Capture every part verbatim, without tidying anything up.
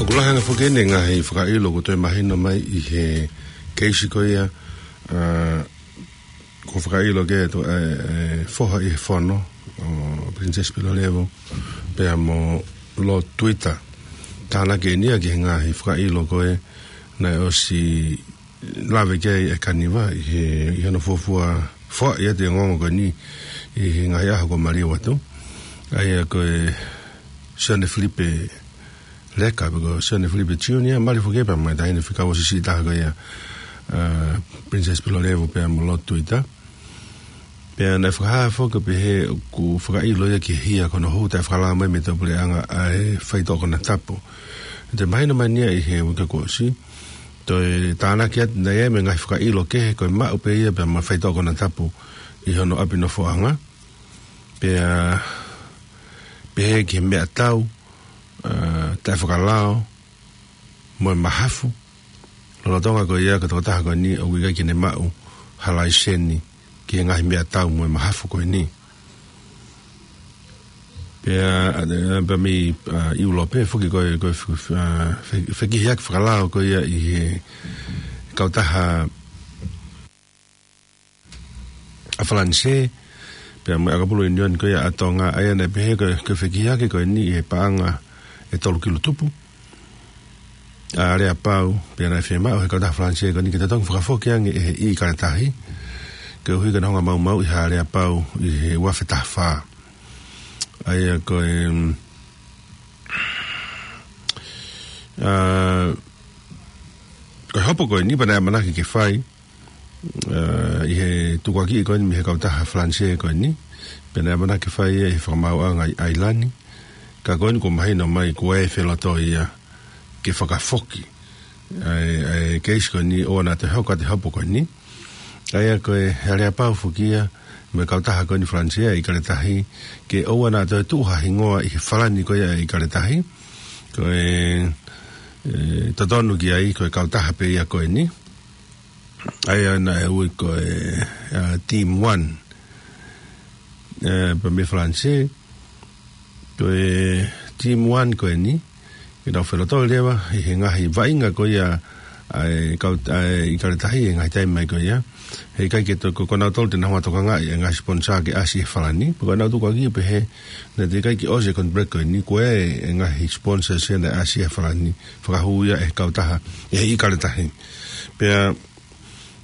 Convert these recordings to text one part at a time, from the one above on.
Ko e lahi ange foki eni e ngaahi fakaʻilo kuo toe mahino mai ʻi he keisi ko ia, ā, kuo fakaʻilo ki he, ē, ē, foha ʻi he fono, ʻo Princess Pilolevu, pea mo Lord Tuita. Tānaki eni ia ki he ngaahi fakaʻilo ko ē naʻe ʻosi lave ki ai ʻa Kaniva ʻi he, ʻi hono fuofua foaʻi atu e ongoongo ko eni ʻi he ngaahi ʻaho kuo maliu atu. ʻA ia ko e Sione Filipe Leka, pe ko Sione Filipe Junior, mali foki pea mo e taʻahine fika uosi siʻi taha ko ia, ā, Princess Pilolevu pea mo Lord Tuita. Pea naʻe fakahā foki pehē ʻoku fakaʻilo ia ki he hia ko hono hū taʻefakalao mai mei he puleʻanga ʻa e faitoʻo konatapu. Toe mahino mai eni ia ʻi he uike kuo ʻosi. Toe tānaki atu naʻe ʻi ai mo e ngaahi fakaʻilo kehe ko e maʻu pē ia pea mo e faitoʻo konatapu ʻi hono ʻapi nofoʻanga. Pea pehē ki he meʻatau, ā, taʻefakalao, mo e mahafu. Lolotonga ko ia ko e tokotaha ko eni ʻoku ʻikai ke ne maʻu ha laiseni ki he ngaahi meʻatau mo e mahafu ko eni. Pea, ā, pea mei, ā, ʻIulope foki ko e, ko e fe-, fe-, ā, fe-, fekihiaki fakalao ko ia ʻi he kautaha ʻa Falanisē, pea mo e ʻakapulu ʻiunioni ko ia ʻa Tonga, ʻa ia naʻe pehē ko e, ko e fekihiaki ko eni ʻi he paʻanga ʻe tolu kilu tupu ʻa e aleapau, pea naʻe fiemaʻu ʻe he kautaha Falanisē ko eni ke totongi fakafoki ange ʻe he ʻIkale Tahi, koeʻuhi ko ʻena hanga ʻo maumauʻi ha aleapau ʻi he ua afe taha fā. ʻA ia ko e, mm, ā, ko e hopo ko eni pea naʻe ʻamanaki ke fai, ā, ʻi he tukuakiʻi ko eni mei he kautaha Falanisē ko eni, pea naʻe ʻamanaki ke fai ia ʻi he fakamaauʻanga ʻi ʻAilani. Ka ko eni kuo mahino mai kuo ʻi ai e felotoi ia ke fakafoki ʻa e, ʻa e keisi ko eni ʻoua naʻa toe hoko atu e hopo ko eni. ʻA ia ko e aleapau foki ia mei he kautaha ko eni Falanisē, ʻa e ʻIkale Tahi, ke ʻoua naʻa toe tuʻu ha hingoa ʻi he falani ko ia ʻa e ʻIkale Tahi. Ko e, ē, totonu ki ai ko e kautaha pē ia ko eni. ʻA ia naʻe ui ko e, ā, Team One, ē, pea mei Falanisē. Ko e Team One ko eni, ke nau felotoi leva ʻi he ngaahi vaʻinga ko ia ʻa e kau-, ʻa e ʻIkale Tahi he ngaahi taimi mai ko ia. Heʻikai ke to-, ko, ko nautolu te nau hanga ʻo tokangaʻi e ngaahi sponsor ke ʻasi he falani. Pea ko ʻenau tukuakiʻi pehē naʻe teʻeki ai ke ʻosi e contract ko eni, ko e, e ngaahi sponsors ia naʻe ʻasi he falani, fakahū ia ʻe he kautaha, ʻe he ʻIkale Tahi. Pea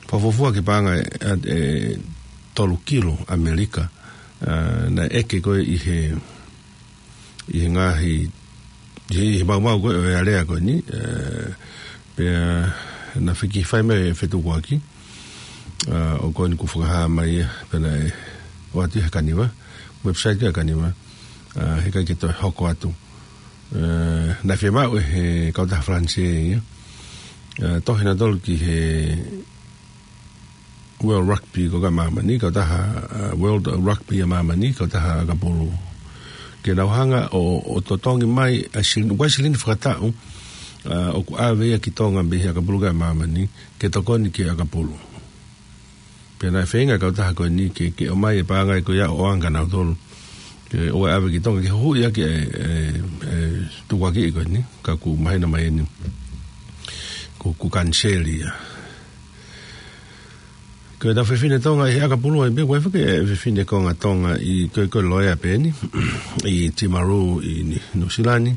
fakafuofua ki he paʻanga ʻe, ʻe tolu kilu ʻAmelika, ā, naʻe ʻeke ko ē ʻi he, ʻi he ngaahi, ʻi he, ʻi he maumau ko ē ʻo e alea ko eni, ē, pea naʻe fiki fai mai e fetukuaki, ā, ʻo ko eni kuo fakahā mai ia, pea naʻe ʻoatu ʻe Kaniva, website ʻa Kaniva, ā, heʻikai ke toe hoko atu. Ē, naʻe fiemaʻu ʻe he kautaha Falanisē ia, ē, tohi nautolu ki he World Rugby ko ē ʻa māmani, kautaha, ā, World Rugby ʻa māmani, kautaha ʻakapulu. Ke nau hanga ʻo, ʻo totongi mai ʻa e silini, ʻa e silini fakataʻu, ā, ʻoku ʻave ia ki Tonga mei he ʻakapulu ko ē ʻa māmani, ke tokoni ki he ʻakapulu. Pea naʻe feinga e kautaha ko eni ke, ke ʻomai e paʻanga ko ia ʻo ʻoange kia nautolu. Ke ʻoua ʻe ʻave ki Tonga ke huhuʻi ʻaki e, e, e tukuakiʻi ko eni, ka kuo mahino mai eni kuo, kuo kaniseli ia. Ko ʻetau fefine Tonga ʻi he ʻakapulu ai pē, ko e fefine, fefine konga Tonga ʻi, ko e, ko e loea pē eni, ʻi Timaru ʻi Ni-, Nuʻusila ni.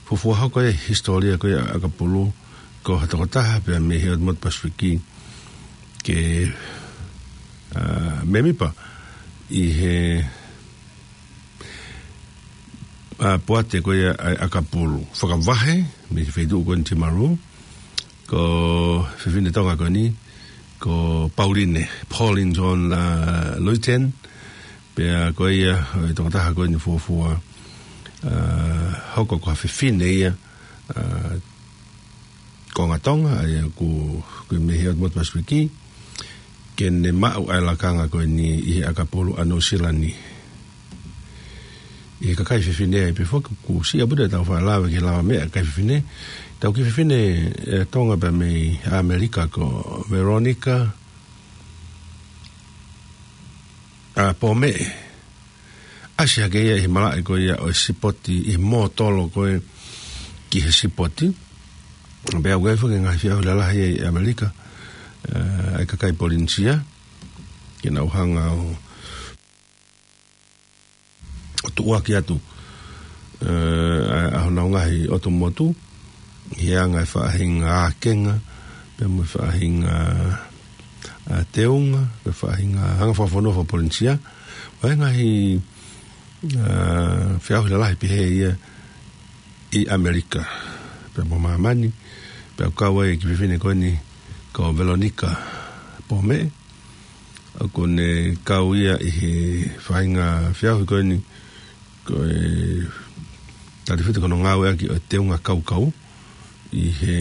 Fuofua hoko e hisitōlia ko ia ʻakapulu, ko ha tokotaha pē mei he ʻotu motu Pasifiki ke, ā, mēmipa ʻi he, ā, poate ko ia ʻa e ʻakapulu. Fakavahe mei he feituʻu ko eni Timaru, ko e fefine Tonga ko eni, ko Pauline, Pauline John, ā, Luiten, pea ko ia, ē, tokotaha ko eni fuofua, ā, hoko ko ha fefine ia, ā, konga Tonga, ʻa ia kuo, kuo mei he ʻotu motu Pasifiki, ke ne maʻu ʻa e lakanga ko eni ʻi he ʻakapulu ʻa Nuʻusila ni. ʻI he kakai fefine ai pē foki, kuo siʻi ʻaupito ʻetau faʻa lave ki he lavameʻa kakai fefine. Tau kiʻi fefine, ē, Tonga pē mei ʻAmelika ko Veronica, ā, Pomeʻe. ʻAsi hake ia ʻi he malaʻe ko ia ʻo e sipoti ʻi he mōtolo ko ē ki he sipoti. Pea ʻoku ʻi ai foki e ngaahi feʻauhi lalahi ʻi ʻAmelika, ʻa e kakai Polinisia, ke nau hanga ʻo, ʻo tuʻuaki atu, ʻa, ʻa honau ngaahi ʻotu motu, ʻi he anga e faʻahinga ākenga, pea mo e faʻahinga, ʻa, teunga, pea faʻahinga anga fakafonua faka-Polinisia. ʻOku ʻi ai e ngaahi, ʻa, feʻauhi lalahi pehē ia ʻi ʻAmelika, pea mo māmani, pea ʻoku kau ai e kiʻi fefine ko eni ko Velonika Pōmeʻe, ʻoku ne kau ia ʻi he faʻahinga feʻauhi ko eni, ko e talifito ko hono ngāueʻaki ʻo e teunga kaukau, ʻi he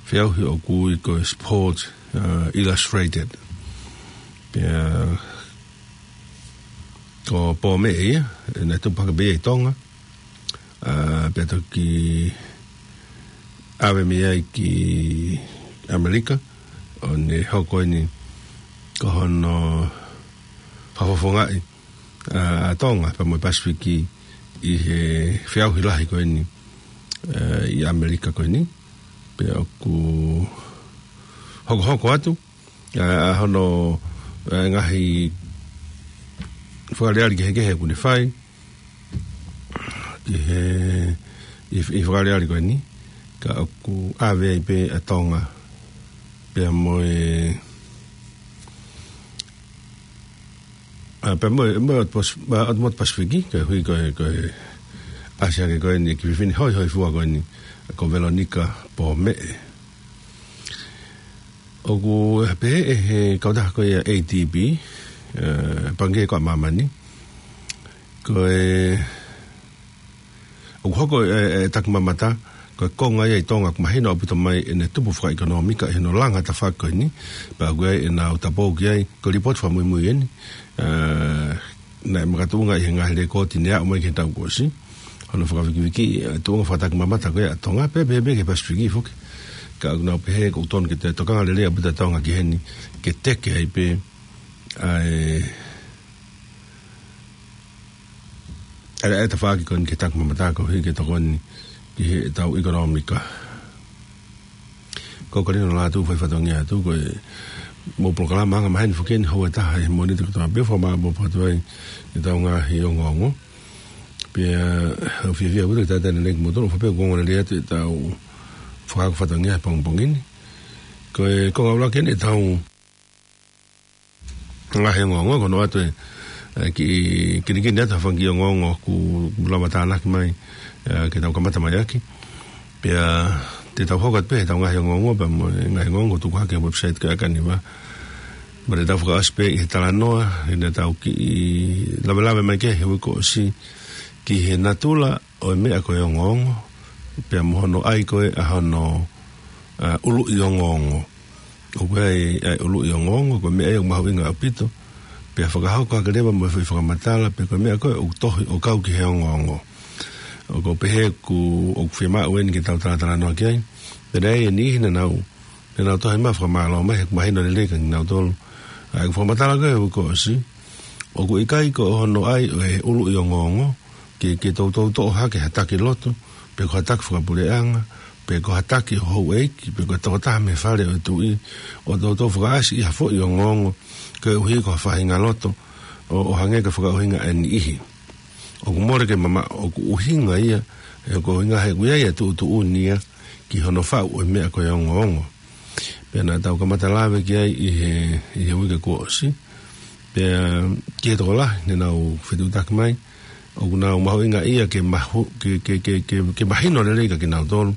feʻauhi ʻoku ui ko e Sports, ʻa, Illustrated. Pea ko Pōmeʻe ia, ʻa, naʻe tupu hake pē ia ʻi Tonga, ʻa, pea toki ʻave mei ai ki ʻAmelika, ʻo ne hoko eni ko hono fakafofongaʻi, ʻa, ʻa Tonga, pea mo e Pasifiki ʻi he feʻauhi lahi ko eni, ʻa, ʻi ʻAmelika ko eni. Pea ʻoku hokohoko atu, ʻa, ʻa hono, ʻa, ngaahi fakaʻaliʻali kehekehe ʻoku ne fai, ʻi he, ʻi, ʻi he fakaʻaliʻali ko eni, ka ʻoku ʻave ai pē ʻa Tonga, pea mo e, ʻa, pea mo e, mo e ʻOtu Pas-, ʻa, ʻOtu Motu Pasifiki, koeʻuhi ko e, ko e ʻasi hake ko eni e kiʻi fefine hoihoifua ko eni, ko Velonika Pōmeʻe. ʻOku pehē ʻe he kautaha ko ia A D B, ʻa, Pangikē ko ia ʻa Māmani, ko e, ʻoku hoko e, e takimamata, ko e konga ia ʻi Tonga ʻoku mahino ʻaupito mai ʻene tupu fakaʻekonōmika ʻi hono langa tafaʻaki ko eni, pea ʻoku ʻi ai ʻenau tapou ki ai, ko e lipooti fakamuimui eni, ʻa, naʻe makatuʻunga ʻi he ngaahi lekooti ne aʻu mai ki he taʻu kuo ʻosi, hono fakavikivikiʻi e tuʻunga fakatakimamata ko ia ʻa Tonga, pea pehē pē ki he Pasifiki foki. Ka ʻoku nau pehē ʻoku totonu ke toe tokanga lelei ʻaupito ʻa Tonga ki heni, ke teke ai pē ʻa e, ʻa e, ʻa e tafaʻaki ko eni ki he takimamata koeʻuhi ke tokoni ki heʻetau ʻekonōmika. Ko Kalino Lātū fai fatongia atu, ko e mo polokalama anga maheni foki eni, houa ʻe taha ʻi he Mōnite kotoa pē, fakamālō atu ai ʻetau ngaahi ongoongo. Pea ʻoku fiefia ʻaupito ke talitali lelei kimoutolu, ʻofa pē ʻoku ongo lelei atu ʻetau fakaako fatongia he pongipongi ni. Ko e konga ʻuluaki eni ʻetau ngaahi ongoongo, ko hono ʻoatu e, e kiʻi kinikini atu ha fanga kiʻi ongoongo ʻoku, ʻoku lava tānaki mai, ʻa, ke tau kamata mai ʻaki. Pea te tau hoko atu pē heʻetau ngaahi ongoongo, pea mo e ngaahi ongoongo ʻoku tuku hake he website ko ia ʻa Kaniva. Mo te tau fakaʻosi pē ʻi he talanoa, ʻi heʻetau kiʻi lavelave mai ki he uike kuo ʻosi, ki he natula ʻo e meʻa ko e ongoongo, pea mo hono ʻai ko ē ʻa hono, ʻa, ʻuluʻi ongoongo. ʻOku ʻi ai ʻa e ʻuluʻi ongoongo, ko e meʻa ia ʻoku mahuʻinga ʻaupito, pea fakahoko hake leva mo e foʻi fakamatala, pe ko e meʻa ko ē ʻoku tohi ʻo kau ki he ongoongo. ʻOku pehē ʻoku, ʻoku fiemaʻu eni ke tau talatalanoa ki ai. Pea naʻe ʻi ai e niʻihi naʻa nau, naʻa nau tohi mai fakamālō mai, he ʻoku mahino lelei kia kinautolu ʻa ʻeku fakamatala ko ē he uike kuo ʻosi. ʻOku ʻikai ko hono ʻai ʻo e ʻuluʻi ongoongo, ke, ke toutou toʻo hake ha taki lotu, pe ko ha taki fakapuleʻanga, pe ko ha taki ʻo houʻeiki, pe ko e tokotaha mei he fale ʻo e tuʻi, ʻo toutou fakaʻasi ʻi ha foʻi ongoongo, koeʻuhi ko ha faʻahinga loto, ʻo, ʻo hangē ko e fakaʻuhinga ʻa e niʻihi. ʻOku mole ke mamaʻo, ʻoku ʻuhinga ia, ʻe ko e ʻuhinga he ʻoku ʻi ai e tuʻutuʻuni ia, ki hono faʻu ʻo e meʻa ko e ongoongo. Pea naʻa tau kamata lave ki ai ʻi he, ʻi he uike kuo ʻosi. Pea ki he tokolahi naʻa nau fetuʻutaki mai, ʻoku nau mahuʻingaʻia ke mahu-, ke, ke, ke, ke, ke mahino lelei kia kinautolu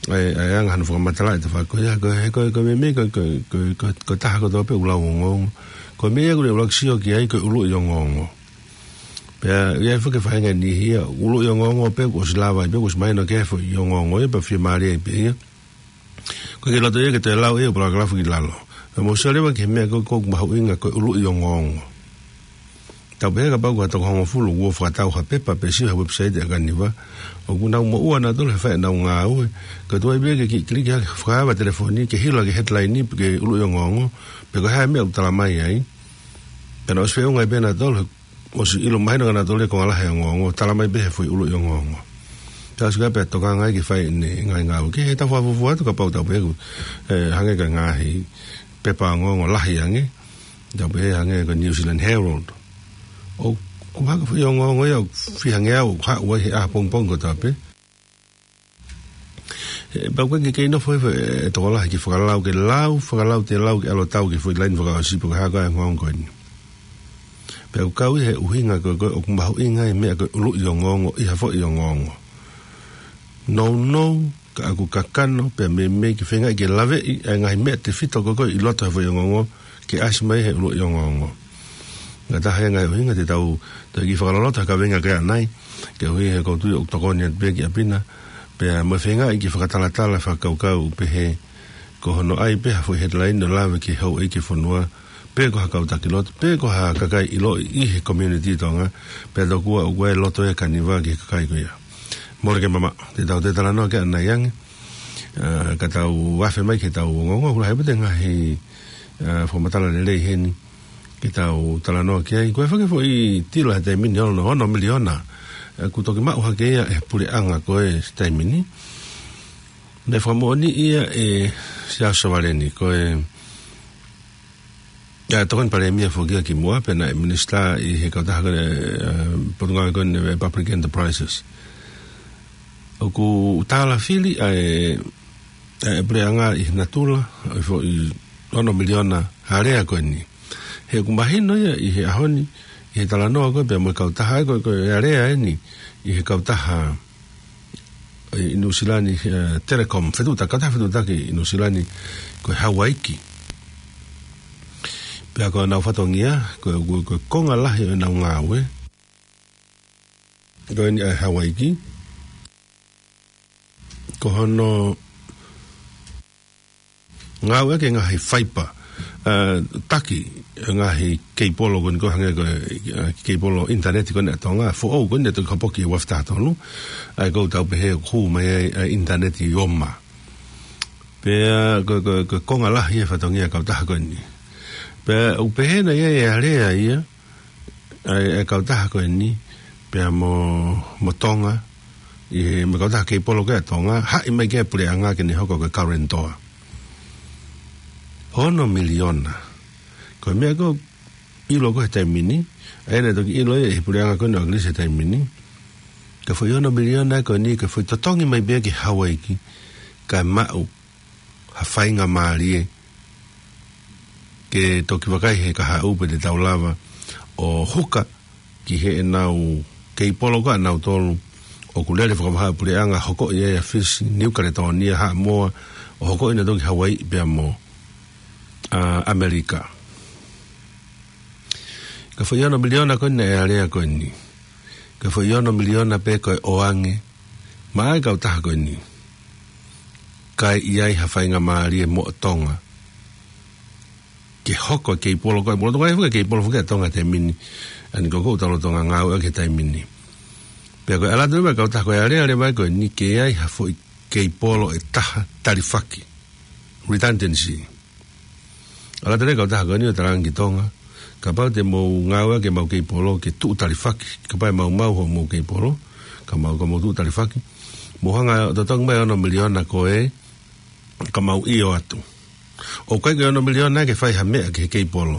ʻa e, ʻa e anga hono fakamatala ʻa e tafaʻaki ko ia, ko e, ko e, ko e meimei, ko e, ko e, ko e, ko e, ko e taha kotoa pē ʻoku lau ongoongo. Ko e meʻa ia ʻoku ne ʻuluaki sio ki ai ko e ʻuluʻi ongoongo. Pea ʻi ai foki e faʻahinga ʻe niʻihi ia, ʻuluʻi ongoongo pē kuo ʻosi lava ai pē, kuo ʻosi mahino ki ai e foʻi ongoongo ia, pea fiemālie ai pē ia. ʻOku ʻikai ke loto ia ke toe lau ia ʻo palakalafu ki lalo. Pea mou sio leva ki he meʻa ko ē ʻoku mahuʻinga ko e ʻuluʻi ongoongo. Tau pehē kapau ko ha toko hongofulu kuo fakatau ha pepa pe sio he website ʻa Kaniva, ʻoku nau moʻua nautolu he fai ʻenau ngāue. Ka tuai pē ke ki-, kiliki hake, fakaava telefoni, ke hilo ki he headline pe ki he ʻuluʻi ongoongo, pe ko e hā e meʻa ʻoku tala mai ai. Pea nau ʻosi feʻunga ai pē nautolu, he ʻosi ʻilo mahino kia nautolu e konga lahi e ongoongo, tala mai pē he foʻi ʻuluʻi ongoongo. Tau sika pea tokanga ai ke fai ʻene ngaahi ngāue. Ke he tau fakafuofua atu kapau tau pehē ʻoku, ē, hangē ko e ngaahi pepa ongoongo lahi ange. Tau pehē hangē ko e New Zealand Herald. ʻOku haka foʻi ongoongo ia ʻoku fiha ngeau ʻoku haʻu ai he ʻaho pongipongi kotoa pē. Ē, pea ʻoku ʻikai ke kei nofo hifo e tokolahi ke fakalau, ke lau, fakalau te lau ke ʻalu ʻo tau ki he foʻi laine fakaʻosi pe ko e hā koā e ongoongo ko eni. Pea ʻoku kau ia he ʻuhinga ko ē, ko ē ʻoku mahuʻinga e meʻa ko e ʻuluʻi ongoongo ʻi ha foʻi ongoongo. Nounou, ka ʻoku kakano, pea meimei ke feingaʻi ke laveʻi ʻa e ngaahi meʻa tefito ko ē, ko ē ʻi loto he foʻi ongoongo, ke ʻasi mai he ʻuluʻi ongoongo. Ngataʻa he ngaahi ʻuhinga te tau, tau kiʻi fakaloloto ha kaveinga ko ia ʻanai, koeʻuhi he ʻoku ou tui ʻoku tokoni atu pē ki ʻapi na, pea mo e feingaʻi ke fakatalatala fakakaukau pehē, ko hono ʻai pē ha foʻi headline ʻo lave ki he houʻeiki e fonua, pe ko ha kau taki lotu, pe ko ha kakai ʻiloʻi ʻi he community Tonga, pea tokua ʻoku ʻi ai e loto ʻa e kaniva ki he kakai ko ia. Mole ke mamaʻo, te tau toe talanoa ki ai ʻanai ange, ā, ka tau afe mai ki heʻetau ongoongo, ʻoku lahi pē ʻete ngaahi, ā, fakamatala lelei heni, ke tau talanoa ki ai. Ko e fakafoʻi tila he taimi ni ono, ono miliona, ē, kuo toki maʻu hake ia ʻe he puleʻanga ko ē he taimi ni. Naʻe fakamoʻoni ia ʻe Siaosi Sovaleni, ko e, ʻa e tokoni palēmia foki ia kimuʻa, pea naʻe minisitā ʻi he kautaha ko ē, ē, Potungāue ko ē ʻa e Public Enterprises. ʻOku tālafili ʻa e, ʻa e puleʻanga ʻi he natula ʻo e foʻi ono miliona alea ko eni. He ʻoku mahino ia ʻi he ʻaho ni, ʻi he talanoa ko ē pea mo e kautaha ko ē, ko e alea eni ʻi he kautaha ʻi Nuʻusila ni, ē, Telecom, fetuʻutaki, kautaha fetuʻutaki ʻi Nuʻusila ni, ko e Hawaiki. Pea ko ʻenau fatongia, ko e, ko e, ko e konga lahi ʻo ʻenau ngāue ko eni ʻa e Hawaiki, ko hono ngāueʻaki e ngaahi faipa, ā, taki e ngaahi keipolo ko eni ko ē hangē ko e, ā, keipolo ʻinitaneti ko eni ʻa Tonga, foʻou ko eni naʻe toki kapoki he ua afe taha tolu, ʻa ia ʻoku tau pehē ʻoku hū mai ai ʻa e ʻinitaneti ʻi ʻOma. Pea ko e, ko e, ko e konga lahi e fatongia e kautaha ko eni. Pea ʻoku pehē naʻe ʻi ai e alea ia, ʻa e, ʻa e kautaha ko eni, pea mo, mo Tonga, ʻi he, mo e kautaha keipolo ko ē ʻa Tonga, haʻi mai ki ai e puleʻanga ke ne hoko ko e guarantor. Ono miliona. Ko e meʻa ko ē ʻilo ko ē he taimi ni, ʻa ia naʻe toki ʻilo ia ʻe he puleʻanga ko eni ʻo ʻAkilisi he taimi ni. Ko e foʻi ono miliona ko eni, ko e foʻi totongi mai pē ia ki Hawaiki, kae maʻu ha faingamālie ke toki vakai he kahaʻu pe te tau lava ʻo huka ki heʻenau keipolo ko ē ʻanautolu ʻoku lele fakavahaʻa e puleʻanga, hokoʻi ai ʻa Fisi, Niu Kaletōnia, Haʻamoa, ʻo hokoʻi nautolu ki Hawaiʻi pea mo, ā, ʻAmelika. Ko e foʻi ono miliona ko eni ʻa e alea ko eni. Ko e foʻi ono miliona pē ko e ʻoange maʻa e kautaha ko eni, kae ʻi ai ha faingamālie moʻo Tonga ke hoko e keipolo ko ē, moʻo Tonga, ʻa ia ʻoku ʻi ai e keipolo foki ʻa Tonga he taimi ni, ʻa ia ko ē ʻoku tau lolotonga ngāueʻaki he taimi ni. Pea ko e ʻalu atu leva e kautaha ko e alea leva ko eni ke ʻi ai ha foʻi keipolo ʻe taha talifaki, redundancy. ʻAlu atu leva e kautaha ko eni ʻo talaange ki Tonga, kapau te mou ngāueʻaki ʻemau keipolo ke tuʻu talifaki, kapau ʻe maumau hoʻomou keipolo, ka mau, ka mou tuʻu talifaki, mou hanga ʻo totongi mai e ono miliona ko ē, ka mau ʻio atu. ʻOku ʻikai ko e ono miliona ke fai ha meʻa ki he keipolo.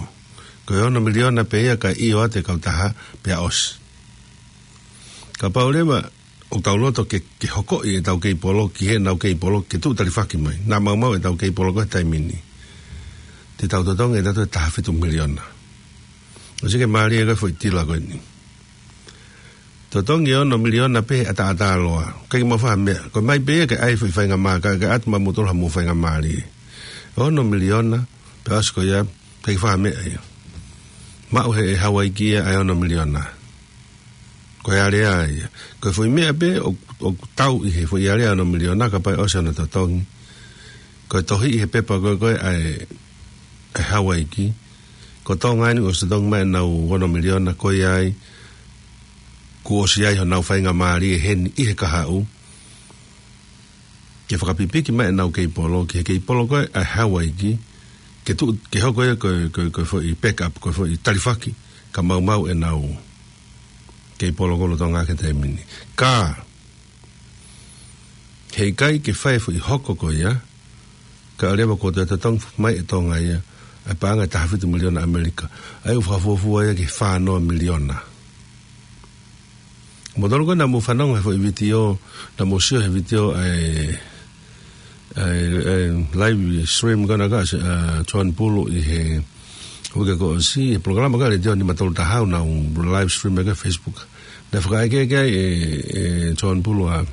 Ko e ono miliona pē ia kae ʻio atu e kautaha pea ʻosi. Kapau leva ʻoku tau loto ke, ke hokoʻi ʻetau keipolo ki heʻenau keipolo ke tuʻu talifaki mai, naʻa maumau ʻetau keipolo ko ē he taimi ni, te tau totongi ʻe tautolu e taha fitu miliona. ʻOsi ke mālie ko e foʻi tila ko eni. Totongi e ono miliona pē he ʻataʻatā loa. ʻIkai ke mau fai ha meʻa. Ko e mai pē ia ke ʻai e foʻi faingamālie, ke ʻatu maʻamoutolu haʻamou faingamālie. Ono miliona, pea ʻosi ko ia, ʻikai ke fai ha meʻa ia. Maʻu ʻe he Hawaiki ia ʻa e ono miliona. Ko e alea ia. Ko e foʻi meʻa pē ʻoku, ʻoku tau ʻi he foʻi alea ono miliona kapau ʻe ʻosi hono totongi. Ko e tohi ʻi he pepa ko ē, ko ē ʻa e, ʻa e Hawaiki. Ko Tonga eni kuo ʻosi totongi mai ʻenau ono miliona ko ia ai. Kuo ʻosi ʻi ai honau faingamālie heni ʻi he kahaʻu ke fakapipiki mai ʻenau keipolo ki he keipolo ko ē ʻa e Hawaiki, ke tuʻu, ke hoko ia ko e, ko e, ko e foʻi backup, ko e foʻi talifaki, ka maumau ʻenau keipolo ko ē ʻa Tonga he taimi ni. Ka, He ʻikai ke fai e foʻi hoko ko ia, kae ʻoua leva kuo toe totongi mai ʻe Tonga ia ʻa e paʻanga ʻe taha fitu miliona ʻAmelika. ʻA ia ʻoku fakafuofua ia ki he fā noa miliona. Mou tolu ko ē naʻa mou fanongo he foʻi vitiō, naʻa mou sio he vitiō ʻa e, ʻa e, ʻa e live stream ko ena ʻa, ʻa John Pulu ʻi he uike kuo ʻosi, he polokalama ko ē ʻa e Letiō nima tolu taha ʻoku nau live stream ʻaki ʻa e Facebook. Naʻe fakaʻekeʻeke ai ʻe, ʻe John Pulu ʻa,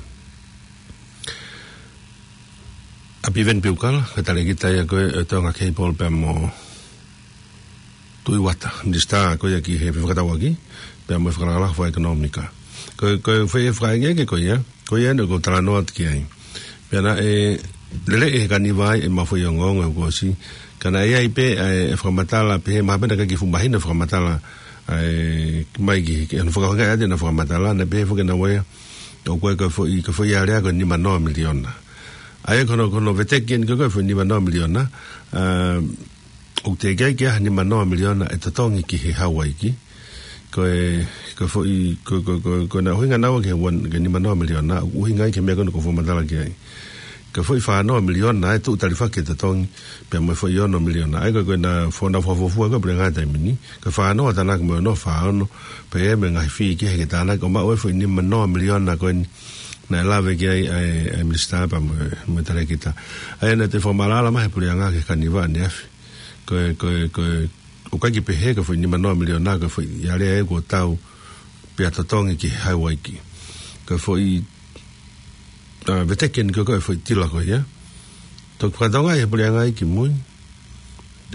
ʻa Piveni Piukala, ko e talēkita ia ko ē ʻo e Tonga Cable pea mo Tuʻi Uata, minisitā ko ia ki he fefakatauʻaki, pea mo e fakalakalaka fakaʻekonōmika. Ko, ko e foʻi fakaʻekeʻeke ko ia, ko ia ʻeni ʻoku ou talanoa atu ki ai. Pea naʻe lele ʻi he Kaniva ai ʻemau foʻi ongoongo he kuo ʻosi. Ka naʻe ʻi ai pē ʻa e, ʻa e fakamatala, pehē mahalo pē naʻe ʻikai ke fuʻu mahino e fakamatala, ʻa e, mai ki, ki, ʻa hono fakahoungaʻi atu ʻena fakamatala, naʻe pehē foki ʻe naua ia, ʻoku ʻi ai ko e foʻi, ko e foʻi alea ko e nima noa miliona. ʻA ia ko hono, ko hono veteki ʻeni ko e, ko e foʻi nima noa miliona, ʻa, ʻoku teʻeki ai ke ʻi ai ha nima noa miliona ʻe totongi ki he Hawaiki. Ko e, ko e foʻi, ko, ko, ko, ko ʻena ʻuhinga naua ki he one, ki he nima noa miliona, ʻoku ʻuhinga ia ki he meʻa ko ena ʻoku ou fakamatala ki ai. Ko e foʻi fā noa miliona ʻe tuʻu talifaki ke totongi, pea mo e foʻi ono miliona. ʻA ia ko e, ko ʻena fo-, ʻena fakafuofua ko e puleʻanga he taimi ni. Ko e fā noa tānaki mo e ono, fā ono, pea mo e ngaahi fee kehe ke tānaki, ʻo maʻu e foʻi nima noa miliona ko eni naʻe lave ki ai ʻa e, ʻa e minisitā pea mo e, mo e talēkita. ʻA ia naʻe toe fakamaʻalaʻala mai he puleʻanga ki he Kaniva ʻaneafi. Ko e, ko e, ko e, ʻoku ʻikai ke pehē ko e foʻi nima noa miliona ko e foʻi alea ia kuo tau pea totongi ki he Hawaiki. Ko e foʻi, ʻa, veteki ʻeni ko e, ko e foʻi tila ko ia. Toki fakatokangaʻi he puleʻanga ia kimui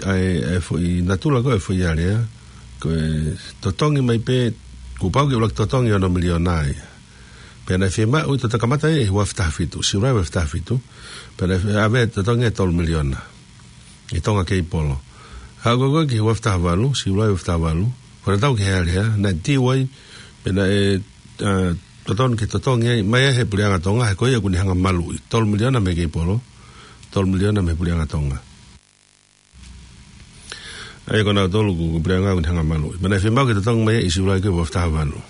ʻa e, ʻa e foʻi natula ko e foʻi alea, ko e totongi mai pē, kuo pau ke ʻuluaki totongi ono miliona ia. Pea naʻe fiemaʻu ʻi, toki kamata ia ʻi he ua afe taha fitu, Siulai ua afe taha fitu, pea naʻe fie-, ʻave totongi ʻe tolu miliona ʻi he Tonga Cable. Haʻu ko ē ki he ua afe taha valu, Siulai ua afe taha valu, ko ʻena tau ki he alea, naʻe tiu ai, pea naʻe, ʻa, totonu ke totongi ai, mai ai he puleʻanga Tonga, he ko ia ʻoku ne hanga maluʻi, tolu miliona mei he Cable, tolu miliona mei he puleʻanga Tonga. ʻA ia ko nautolu ko e, ko e puleʻanga ʻoku ne hanga maluʻi. Pea naʻe fiemaʻu ke totongi mai ia ʻi Siulai ko ē ua afe taha valu.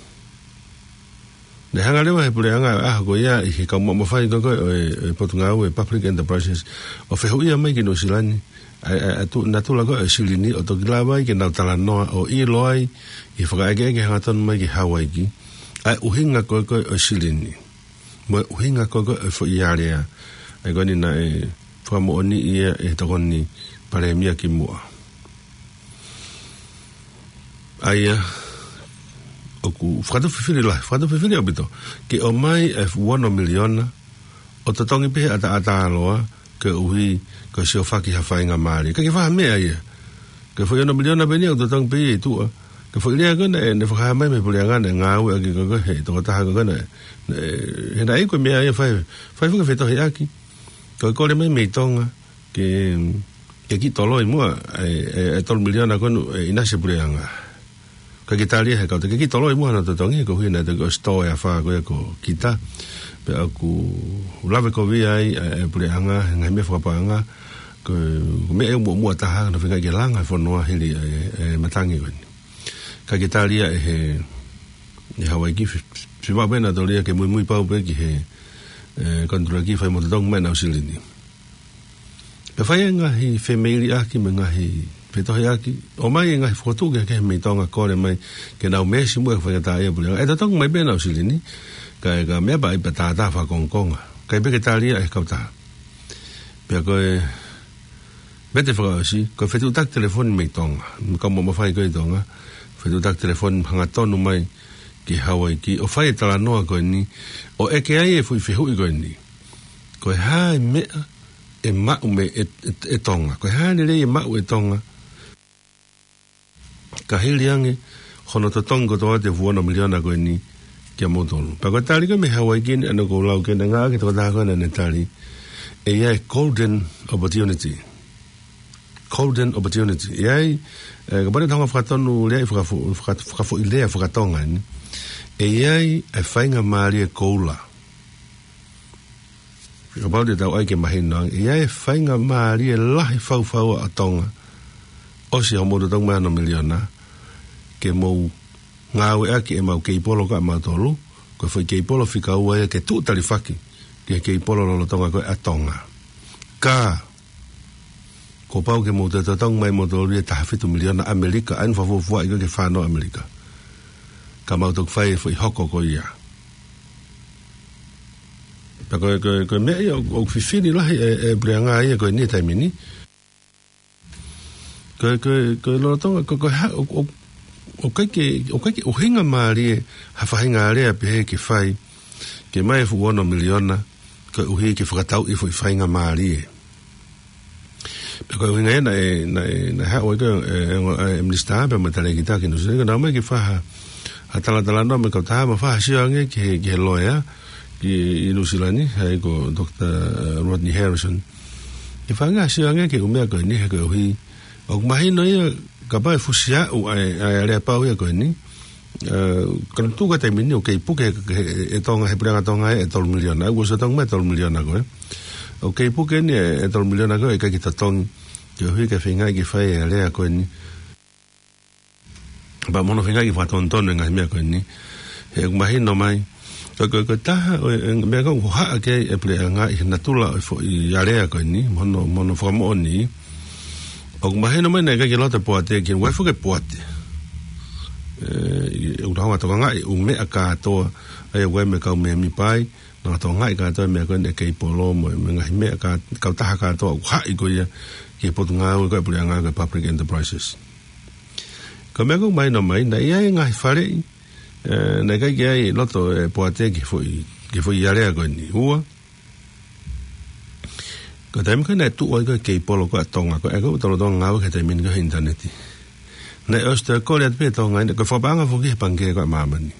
Naʻe hanga leva he puleʻanga ʻaho ko ia ʻi he kau maʻu mafai ko ē ʻo e, ʻo e Potungāue Public Enterprises ʻo fehuʻia mai ki Nuʻu Sila ni ʻa e, ʻa e, ʻa e tu-, natula ko ē ʻo e silini ʻo toki lava ai ke nau talanoa ʻo ʻilo ai ʻi he fakaʻekeʻeke hangatonu mai ki Hawaiki ʻa e ʻuhinga ko ē ko ē ʻo e silini mo e ʻuhinga ko ē ko ē ʻo e foʻi alea. ʻA ia ko eni naʻe fakamoʻoniʻi ia ʻe he tokoni palēmia kimuʻa. ʻA ia, ʻoku fakatupu fifili lahi, fakatupu fifili ʻaupito, ke ʻomai e ua ono miliona ʻo totongi pē he ʻataʻatā loa, koeʻuhi ko e siofaki ha faingamālie. Ka ke faha meʻa ia. Ko e foʻi ono miliona pē eni ia ʻoku totongi pē ia ʻi tuʻa. Ko e foʻi lea ko ē naʻe, naʻe fakahā mai mei he puleʻanga naʻe ngāueʻaki ko ē he tokotaha ko ē naʻe, naʻe, he naʻe ʻi ai ko e meʻa ia fai, fai foki e fetohiʻaki. Ko e kole mai mei Tonga ke, ke kiʻi toloi muʻa e, e, e tolu miliona ko ē naʻe ʻinasi e puleʻanga. Ka ke tali ia he kau, ke kiʻi toloi muʻa hono totongi, koeʻuhi naʻe toki ʻosi tō e afā ko ia ko kita. Pea ʻoku lave kovi ai e, e puleʻanga he ngaahi meʻa fakapaʻanga. Ko, ko e meʻa ia muʻomuʻa taha naʻe feinga ke langa e fonua hili e, e matangi ko eni. Ka ke tali ia ʻe he, ʻe Hawaiki, fi-, fi-, fiemaʻu pē nautolu ia ke muimui pau pē ki he, e, konitulaki fai mo totongi mai ʻenau silini. Pea fai e ngaahi femeiliʻaki mo e ngaahi fetohiʻaki, ʻomai e ngaahi fokotuʻu kehekehe mei Tonga, kole mai ke nau meesi muʻa e faingataʻaʻia e puleʻanga. ʻE totongi mai pē ʻenau silini, kae, ka meʻa pē ia pea tātā fakakongokonga. ʻIkai pē ke tali ia ʻe he kautaha. Pea ko e vete fakaʻosi, ko e fetuʻutaki telefoni mei Tonga. Mo e kau maʻu mafai ko ē ʻi Tonga, fetuʻutaki telefoni hangatonu mai ki Hawaiki, ʻo fai e talanoa ko eni, ʻo ʻeke ai e foʻi fehuʻi ko eni. Ko e hā e meʻa ʻe maʻu mei, ʻe, ʻe, ʻe Tonga. Ko e hā e lelei ʻe maʻu ʻe Tonga ka hili ange hono totongi kotoa atu e ua ono miliona ko eni kiate kimoutolu. Pea ko e tali ko ē mei Hawaiki eni, ʻa ena ʻoku ou lau ki ai, naʻe ngāueʻaki e tokotaha ko ē naʻá ne tali, ʻe ʻi ai e golden opportunity. Golden opportunity. ʻE ʻi ai, e, kapau te tau hanga ʻo fakatonu lea ʻi he fakafo-, faka-, fakafoʻilea faka-Tonga eni, ʻe ʻi ai e faingamālie koula. Kapau te tau ʻai ke mahino ange, ʻe ʻi ai e faingamālie lahi fau fau ʻa Tonga, ʻosi hoʻomou totongi mai e ono miliona, ke mou ngāueʻaki ʻemau keipolo kiate kimoutolu, ko e foʻi keipolo fika ua ia ke tuʻu talifaki ʻi he keipolo lolotonga ko ē ʻa Tonga. Ka, kuo pau ke mou totongi mai moutolu ia ʻe taha fitu miliona ʻAmelika, ʻa eni fakafuofuaʻi ko ē ke fānau ʻAmelika. Ka mau toki fai e foʻi hoko ko ia. Pea ko e, ko e, ko e meʻa ia ʻoku, ʻoku fifili lahi e, e puleʻanga ia ko eni he taimi ni. Ko e, ko e, ko e lolotonga, ko e, ko e ha-, ʻo, ʻo, ʻoku ʻikai ke, ʻoku ʻikai ke ʻuhinga mālie ha faʻahinga alea pehē ke fai, ke ʻomai e fuʻu ono miliona, koeʻuhi ke fakatauʻi e foʻi faingamālie. Pea ko e ʻuhinga ia naʻe, naʻe, naʻe haʻu ai ko ē, e, e, e minisitā pea mo e talēkita ki Nuʻusila, ke nau ō mai ke fai ha, ha talatalanoa mo e kautaha mo fai ha sio ange ki he, ki he loea, ki, ʻi Nuʻusila ni, ʻa ia ko Doctor Rodney Harrison. Ke fai ange ha sio ange ki he ʻū meʻa ko eni he koeʻuhi. ʻOku mahino ia kapau ʻe fusi aʻu ʻa e, ʻa e aleapau ia ko eni. Ē, ka naʻe tuʻu ki he taimi ni ʻoku kei puke ʻe, ʻe, ʻe Tonga, he puleʻanga Tonga ē, e tolu miliona. ʻA ia kuo ʻosi totongi mai e tolu miliona ko ē. ʻOku kei puke eni e, e tolu miliona ko ē, ʻikai ke totongi. Koeʻuhi ke feingaʻi ke fai e alea ko eni. Pea mo hono feingaʻi ke fakatonutonu e ngaahi meʻa ko eni. He ʻoku mahino mai. Ko e, ko e, ko e taha ʻo e, e meʻa ko ē ʻoku hohaʻa ki ai e puleʻanga ʻi he natula ʻo e foʻi alea ko eni, mo hono, mo hono fakamoʻoni. ʻOku mahino mai naʻe ʻikai ke loto e poate ke ʻai foki e poate. Ē, ʻi, ʻoku nau hanga ʻo tokangaʻi e ʻū meʻa kātoa, ʻa ia ʻoku ʻi ai mo e kau mēmipa ai, nau tokangaʻi kātoa e meʻa ko eni e keipolo mo e, mo e ngaahi meʻa kā, kautaha kātoa ʻoku haʻi ko ia ki he potungāue ko ē ʻa e puleʻanga ko e Public Enterprises. Ko e meʻa ʻoku mahino mai, naʻe ʻi ai e ngaahi faleʻi, ē, naʻe ʻikai ke ʻi ai loto e poate ki he foʻi, ki he foʻi alea ko eni. Ua, ko e taimi ko ē naʻe tuʻu ai ko ē e keipolo ko ē ʻa Tonga, ko ē ʻoku tau lolotonga ngāue ki he taimi ni ko ē he ʻinitaneti. Naʻe ʻosi toe kole atu pē ʻe Tonga eni, ko e fakapaʻanga foki he Pangikē ko ē ʻa Māmani.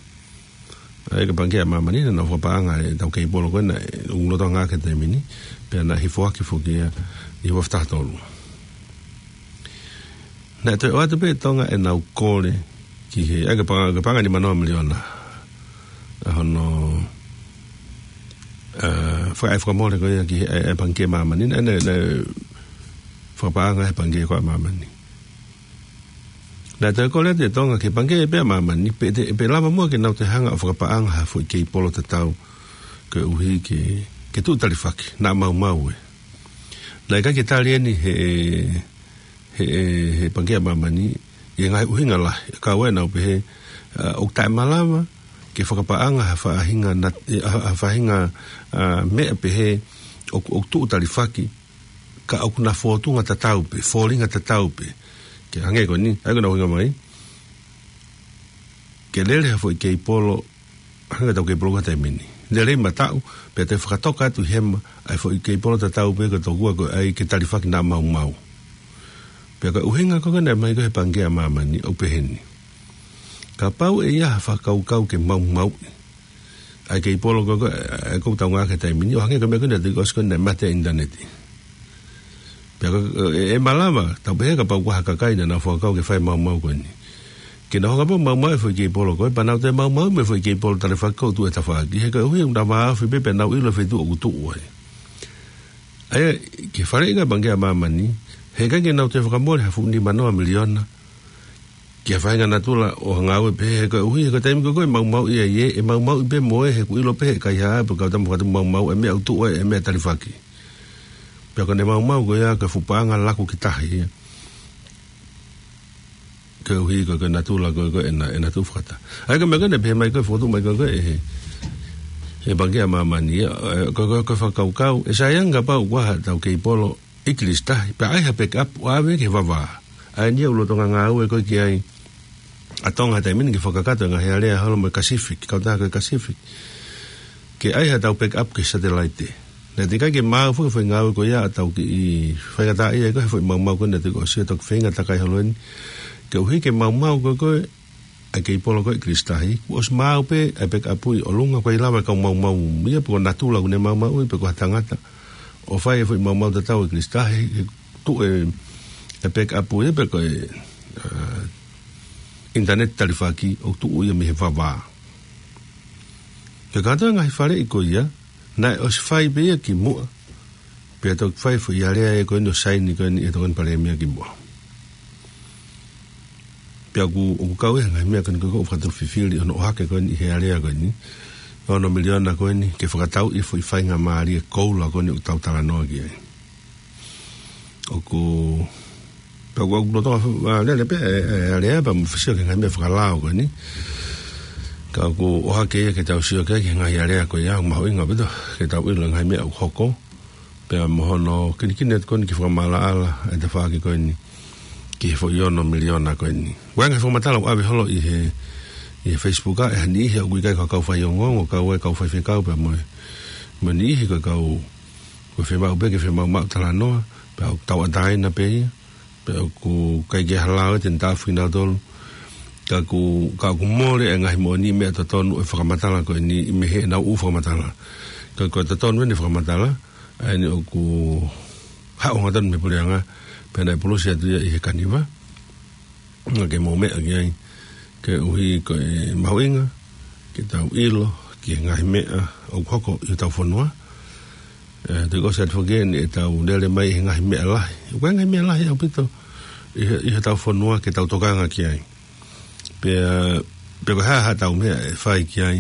ʻA ia ko e Pangikē ʻa Māmani, naʻa nau fakapaʻanga e tau keipolo ko ē naʻe lolotonga ngāue ki he taimi ni, pea naʻe hifo hake foki ia ʻi he ua afe taha tolu. Naʻe toe ʻoatu pē ʻe Tonga ʻenau kole ki he, ʻa ia ko e paʻanga, ko e paʻanga nimanoa miliona. ʻA hono, ē, faka-, ʻa e fakamole ko ia ki he, ʻa e, ʻa e Pangikē Māmani, naʻe, naʻe, naʻe fakapaʻanga he Pangikē ko ē ʻa Māmani. Naʻe toe kole atu ʻe Tonga ki he Pangikē pē ʻa Māmani, pe te, pe lava muʻa ke nau toe hanga ʻo fakapaʻanga ha foʻi keipolo tatau, koeʻuhi ke, ke tuʻu talifaki, naʻa maumau ē. Naʻe ʻikai ke tali eni he, he, he Pangikē ʻa Māmani, ʻi he ngaahi ʻuhinga lahi, ka ʻoku nau pehē, ā, ʻoku taʻemalava ke fakapaʻanga ha faʻahinga nat-, ē, ha, ha faʻahinga, ā, meʻa pehē ʻoku, ʻoku tuʻu talifaki, ka ʻoku na fōtunga tatau pē, fōtunga tatau pē. Ke hangē ko eni, ʻa ia ko ʻena ʻuhinga mai. Ke lele ha foʻi keipolo, hangē ko ʻetau keipolo ko ē he taimi ni. Lele mataʻu, pea toe fakatoka atu hema, ʻa e foʻi keipolo tatau pē ko ē tokua ko ē ʻai ke talifaki naʻa maumau. Pea ko e ʻuhinga ko ē naʻe ʻomai ko ē he Pangikē ʻa Māmani, ʻoku pehē ni. Kapau ʻe ʻi ai ha fakakaukau ke maumauʻi ʻa e keipolo ko ē, ʻa ia ʻoku tau ngāueʻaki he taimi ni, ʻo hangē ko e meʻa ko ē naʻe toki ʻosi ko ē naʻe mate e ʻinitaneti. Pea ko e, ʻe, ʻe malava, tau pehē kapau ko ha kakai naʻa nau fakakaukau ke fai e maumau ko eni. Ke nau hanga pē ʻo maumauʻi e foʻi keipolo ko ē, pea nau toe maumauʻi mo e foʻi keipolo talifaki ʻoku tuʻu he tafaʻaki. He koeʻuhi ʻoku nau vāofi pē, pea nau ʻilo e feituʻu ʻoku tuʻu ai. ʻA ia, ki he faleʻi ko ē ʻa e Pangikē ʻa Māmani, he ʻikai ke nau toe fakamole ha fuʻu nimanoa miliona ki ha faʻahinga natula ʻo ha ngāue pehē, he koeʻuhi, he ko e taimi ko ē ʻoku maumauʻi ai ē, ʻe maumauʻi pē mo ē, he ʻoku ʻilo pē ʻe he kaihaʻa, pe kau tama fakatu maumau, ʻa e meʻa ʻoku tuʻu ai, ʻa e meʻa talifaki. Pea ko ʻene maumau ko ia ko e fuʻu paʻanga laku ki tahi ia. Koeʻuhi ko e, ko e natula ko ē, ko ē ʻena, ʻena tuʻu fakataha. ʻA ia ko e meʻa ko ē naʻe pehē mai ko ē, fokotuʻu mai ko ē, ko ē ʻe he, he Pangikē ʻa Māmani ia, ē, ko e, ko e, ko e fakakaukau, ʻe sai ange kapau ʻoku ʻi ai haʻatau keipolo ʻi Kilisi Tahi, pea ʻai ha backup ʻo ʻave ki he vavā. ʻA eni ia ʻoku lolotonga ngāue ko ē ki ai ʻa Tonga he taimi ni ke fakakakato e ngaahi alea holo mo e Kasifiki, kautaha ko e Kasifiki. Ke ʻai haʻatau backup ki he satelaite. Naʻe teʻeki ai ke maau foki e foʻi ngāue ko ia ʻa ʻetau kiʻi faingataʻaʻia ko ē he foʻi maumau ko ē naʻe toki ʻosi, toki feinga takai holo eni. Koeʻuhi ke maumau ko ē ko ē ʻa e keipolo ko ē ʻi Kilisi Tahi, kuo ʻosi maau pē ʻa e backup ʻi ʻolunga, ʻoku ʻikai lava e kau maumau ia, pe ko e natula ʻoku ne maumauʻi, pe ko ha tangata ʻo fai e foʻi maumau tatau ʻi Kilisi Tahi, he tuʻu e, e backup ia, pe ko e, ā, ʻinitaneti talifaki ʻoku tuʻu ia mei he vavā. Ko e kātoa e ngaahi faleʻi ko ia, naʻe ʻosi fai pē ia kimuʻa, pea toki fai e foʻi alea ia ko eni ʻo saini ko eni ʻe he Tokoni Palēmia kimuʻa. Pea ʻoku, ʻoku kau ia he ngaahi meʻa ko eni ko ē ʻoku ou fakatupu fifili hono ʻohake ko eni ʻi he alea ko eni. ono miliona ko eni ke fakatau ʻi he foʻi faingamālie koula ko eni ʻoku tau talanoa ki ai. ʻOku, pea ʻoku, ʻoku lolotonga, ʻa, lele pē ʻe, ʻe ʻAlea pea mo Fisiō ki he ngaahi meʻa fakalao ko eni. Ka ʻoku ʻohake ia ke tau sio ki he ngaahi ʻalea ko ia, ʻoku mahuʻinga ʻaupito ke tau ʻilo ngaahi meʻa ʻoku hoko. Pea mo hono kinikini atu ko eni ke fakamaʻalaʻala ʻa e tafaʻaki ko eni ki he foʻi ono miliona ko eni. Ko e ngaahi fakamatala ʻoku ʻave holo ʻi he, ʻi he Facebook ʻa e ha niʻihi ʻoku ʻikai ko ha kau faiongoongo, kau ʻa e kau faifekau pea mo e, mo e niʻihi ko e kau, ko e fiemaʻu pē ke fiemaʻu maʻu talanoa, pea ʻoku tauʻatāina pē ia, pea ʻoku ʻikai ke hala ʻo te ntafu kinautolu. Ka ʻoku, ka ʻoku mole e ngaahi moʻoni meʻa totonu ʻo e fakamatala ko eni mei heʻenau ʻū fakamatala. Ka ko e totonu eni fakamatala, ʻa eni ʻoku haʻu hangatonu mei he puleʻanga, pea naʻe pulusi atu ia ʻi he kaniva. Naʻa ke mou meʻa ki ai, koeʻuhi ko e mahuʻinga ke tau ʻilo ki he ngaahi meʻa ʻoku hoko ʻi hotau fonua. ʻE, te kosi atu foki eni ʻetau lele mai ʻi he ngaahi meʻa lahi. ʻOku ʻi ai e ngaahi meʻa lahi ʻaupito ʻi he, ʻi hotau fonua ke tau tokanga ki ai. Pea, pea ko e hā haʻatau meʻa ʻe fai ki ai.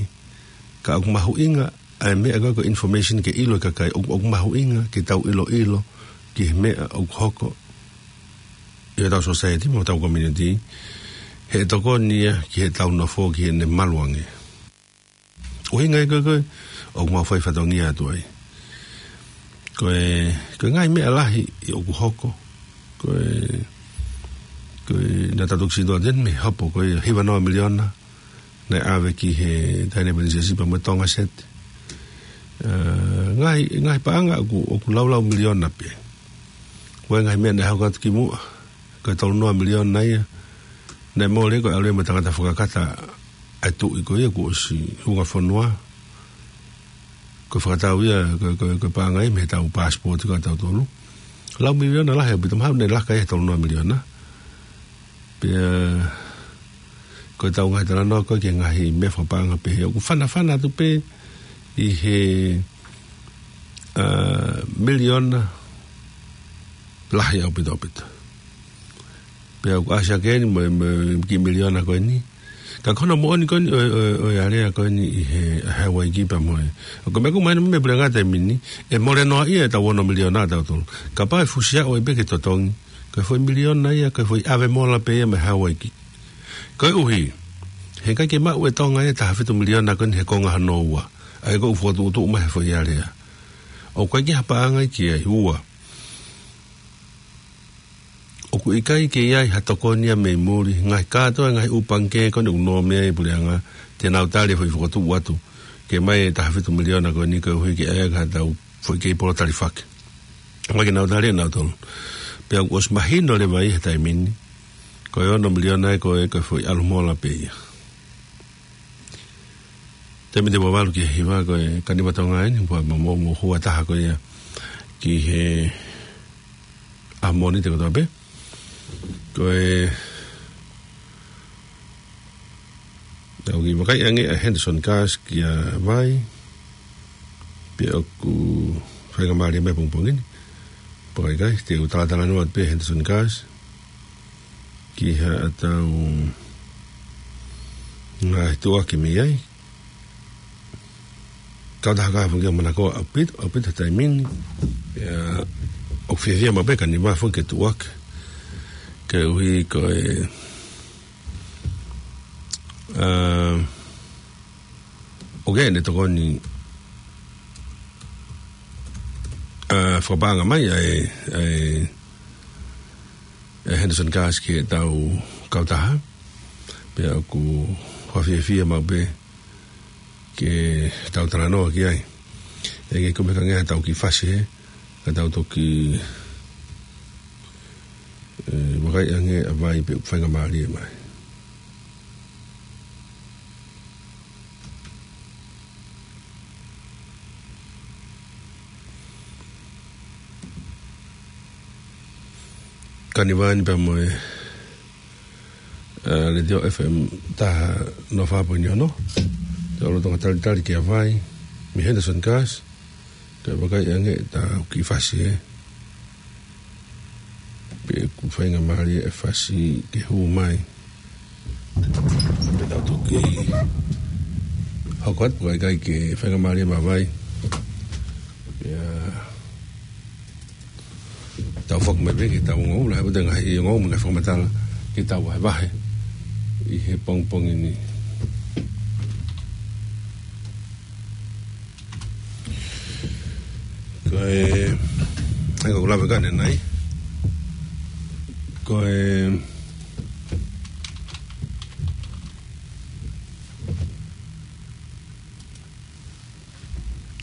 Ka ʻoku mahuʻinga ʻa e meʻa ko e, ko e information ke ʻilo e kakai, ʻoku, ʻoku mahuʻinga ke tau ʻiloʻilo ki he meʻa ʻoku hoko ʻi hotau society mo hotau community, he ʻe tokoni ia ki heʻetau nofo ki heʻene malu ange. ʻUhinga ia ko e, ko e, ʻoku mau fai fatongia atu ai. Ko e, ko e ngaahi meʻa lahi ʻoku hoko. Ko e, ko e, naʻa tau toki sio atu eni mei he hopo ko e hiva noa miliona naʻe ʻave ki he Taʻahine Pilinisesi pea mo Tonga Sat. ʻE, ngaahi, ngaahi paʻanga ʻoku, ʻoku laulau miliona pē. Ko e ngaahi meʻa naʻe hoko atu kimuʻa, ko e tolu noa miliona ia. Naʻe mole ko e ʻalu ia mo e tangata fakakata ʻa e tuʻi ko ia kuo ʻosi hunga fonua. Ko e fakatau ia, ko, ko, ko e paʻanga ia mei heʻetau passport ko ʻetau tolu. Lau miliona lahi ʻaupito, mahalo naʻe laka ia he tolu noa miliona. Pea, ko ʻetau ngaahi talanoa ko e ki he ngaahi meʻa fakapaʻanga pehē. ʻOku fanafana atu pē ʻi he, ʻa, miliona lahi ʻaupito ʻaupito. Pea ʻoku ʻasi hake eni mo e, mo e kiʻi miliona ko eni. Ka ko hono moʻoni ko eni ʻo e, ʻo e, ʻo e ʻalea ko eni ʻi he, ʻa Hauaiki pea mo e. ʻOku meʻa ʻoku mahino mei he puleʻanga he taimi ni, ʻe mole noa ia ʻetau ono miliona ʻatautolu. Kapau ʻe fusi ʻo ʻai pē ke totongi, ko e foʻi miliona ia, ko e foʻi ʻave mola pē ia mei Hauaiki. Koeʻuhi, he ʻikai ke maʻu ʻe Tonga ia e taha fitu miliona ko eni he konga hono ua. ʻA ia ko e fokotuʻutuʻu mai he foʻi ʻalea. ʻOku ʻikai ke ha paʻanga ia ki ai, ua. ʻOku ʻikai ke ʻi ai ha tokoni ia mei muli, ngaahi kātoa, ngaahi ʻū pangikē ko eni ʻoku nō mei ai e puleʻanga, te nau tali e foʻi fokotuʻu atu, ke ʻomai e taha fitu miliona ko eni koeʻuhi ke ʻai ʻaki haʻatau foʻi kei polo talifaki. ʻOku ʻikai ke nau tali ʻe nautolu. Pea ʻoku ʻosi mahino leva ia he taimi ni, ko e ono miliona ia ko e, ko e foʻi ʻalu mola pē ia. Taimi te mavalu ki he hiva ko e kaniva Tonga eni, pea mo, mo, mo hua taha ko ia ki he ʻaho Mōnite kotoa pē. Ko e, tau kiʻi vakai ange ʻa Henderson Cars kia Vai. Pea ʻoku faingamālie mai pongipongi ni. Pea ʻikai, te u talatalanoa pē Henderson Cars ki haʻatau ngaahi tuʻuaki mei ai. Kautaha ka fungio manako ʻaupito, ʻaupito he taimi ni. Pea ʻoku fiefia maʻu pē e kaniva foki ke tuʻuaki. Koeʻuhi ko e, ʻa, ʻoku ʻi ai ʻene tokoni, ʻa, fakapaʻanga mai ʻa e, ʻa e, ʻa e Henderson Cars ki heʻetau kautaha. Pea ʻoku fakafiefia maʻu pē ke tau talanoa ki ai. ʻE ke kumi kange ʻetau kiʻi fasi hē, ka tau toki, ʻe, vakai ange ʻa Vai pe ʻoku faingamālie mai. Kaniva ni pea mo e, ʻa, Letiō F M taha noa fā poini ono. Te u lolotonga talitali kia Vai mei Henderson Cars. Kae vakai ange ʻetau kiʻi fasi hē. Pe ʻoku faingamālie e fasi ke hū mai. Pe tau toki hoko atu, ʻikai ke faingamālie mavae. Pea tau foki mai pē ki heʻetau ongoongo, lahi ʻetau ngaahi ongoongo mo e ngaahi fakamatala ki heʻetau vahevahe ʻi he pongipongi ni. Ko e, ʻa ia ko e lave ko eni. Ko e,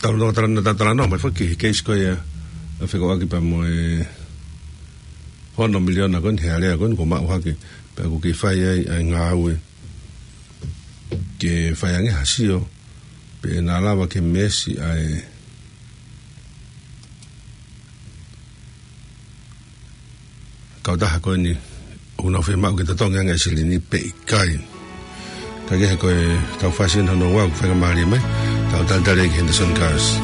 talanoa, talanoa, talanoa mai foki ki he keisi ko ia ʻa e fekauʻaki pea mo e hono miliona ko eni he alea ko eni kuo maʻu hake, pea kuo kei fai ai ʻa e ngāue ke fai ange ha sio pe naʻa lava ke meesi ʻa e kautaha ko eni ʻoku nau fiemaʻu ke totongi ange ʻa e silini pe ʻikai. Ka ko e taufasi eni hono ua ʻoku faingamālie mai, tau talitali ki Henderson Cars.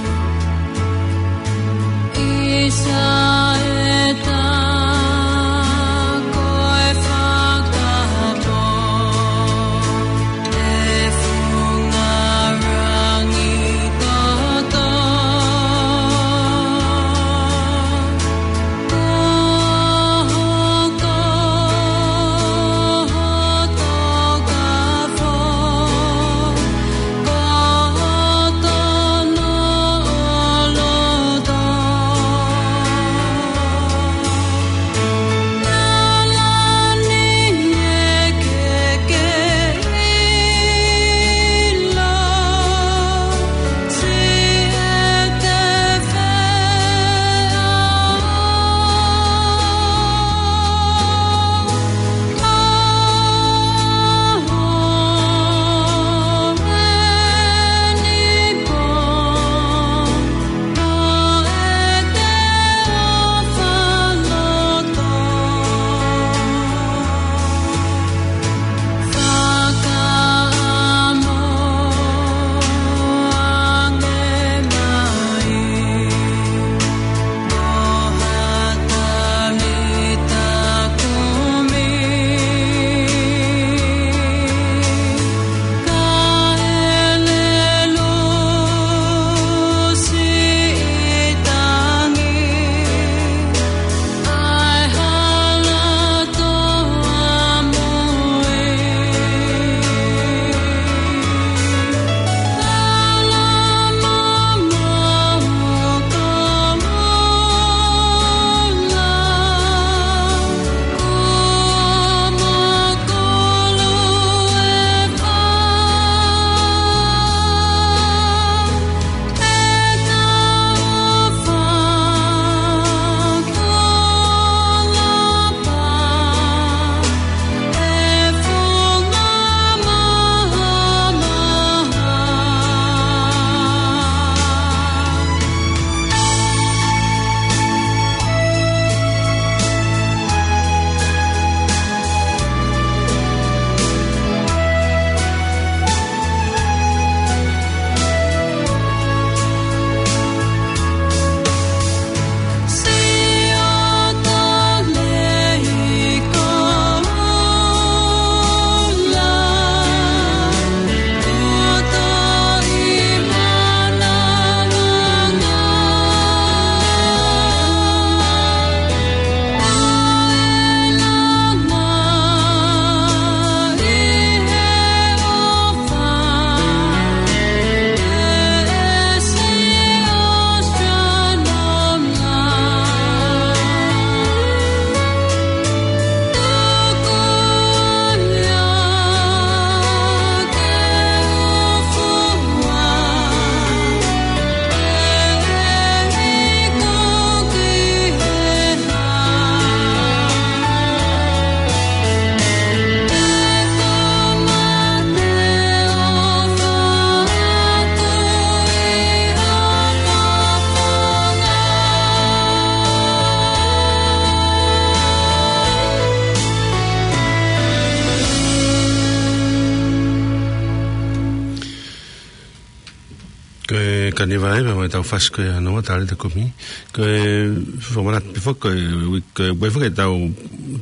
Ko e kaniva ē, pea mo e taufasi ko ia hono ua, Talita Kumi. Ko e fakamanatu pē foki, ko e uike, ko e uike foki ʻetau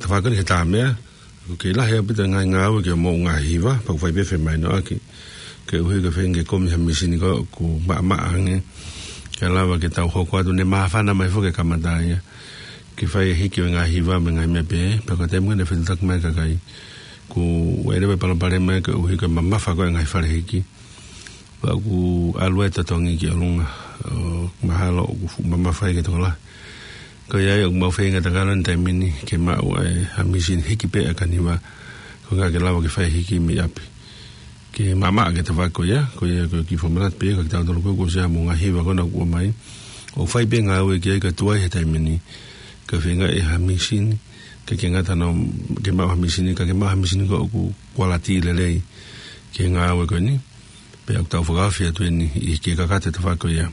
tafaʻaki ni he tā meʻa. ʻOku kei lahi ʻaupito e ngaahi ngāue ke moʻunga hiva, pea ʻoku fai pē femahinoʻaki. Koeʻuhi ko e feinga ke kumi ha mīsini ko ē ʻoku maʻamaʻa ange, ke lava ke tau hoko atu, ne māfana mai foki e kamata ia ke fai e hiki ʻo e ngaahi hiva mo e ngaahi meʻa pehē. Pea ko e taimi ko ē naʻe fetuʻutaki mai e kakai, kuo ʻi ai leva e palopalema ia koeʻuhi ko e mamafa ko ē e ngaahi fale hiki. Pea ʻoku ʻalu e totongi ki ʻolunga, ʻo mahalo ʻoku fuʻu mamafa ia ke tokolahi. Ko ia ai ʻoku mau feinga takala he taimi ni ke maʻu ai ha mīsini hiki pē ʻa e kaniva, koeʻuhi ke lava ke fai e hiki mei ʻapi, ke maʻamaʻa e tafaʻaki ko ia. Ko ia ko e kiʻi fakamanatu pē ia kiate kitautolu ko ē kuo ʻosi ʻi ai mo e ngaahi hiva ko ena ʻoku ʻomai, ʻoku fai pē e ngāue ki ai, ka tuai he taimi ni ke feinga e ha mīsini, ke ke ngata no, ke maʻu ha mīsini, ka ke maʻu ha mīsini ko ē ʻoku kualiti lelei ki he ngāue ko eni. Pea ʻoku tau fakaofi atu eni ʻi he kakato e tafaʻaki ko ia.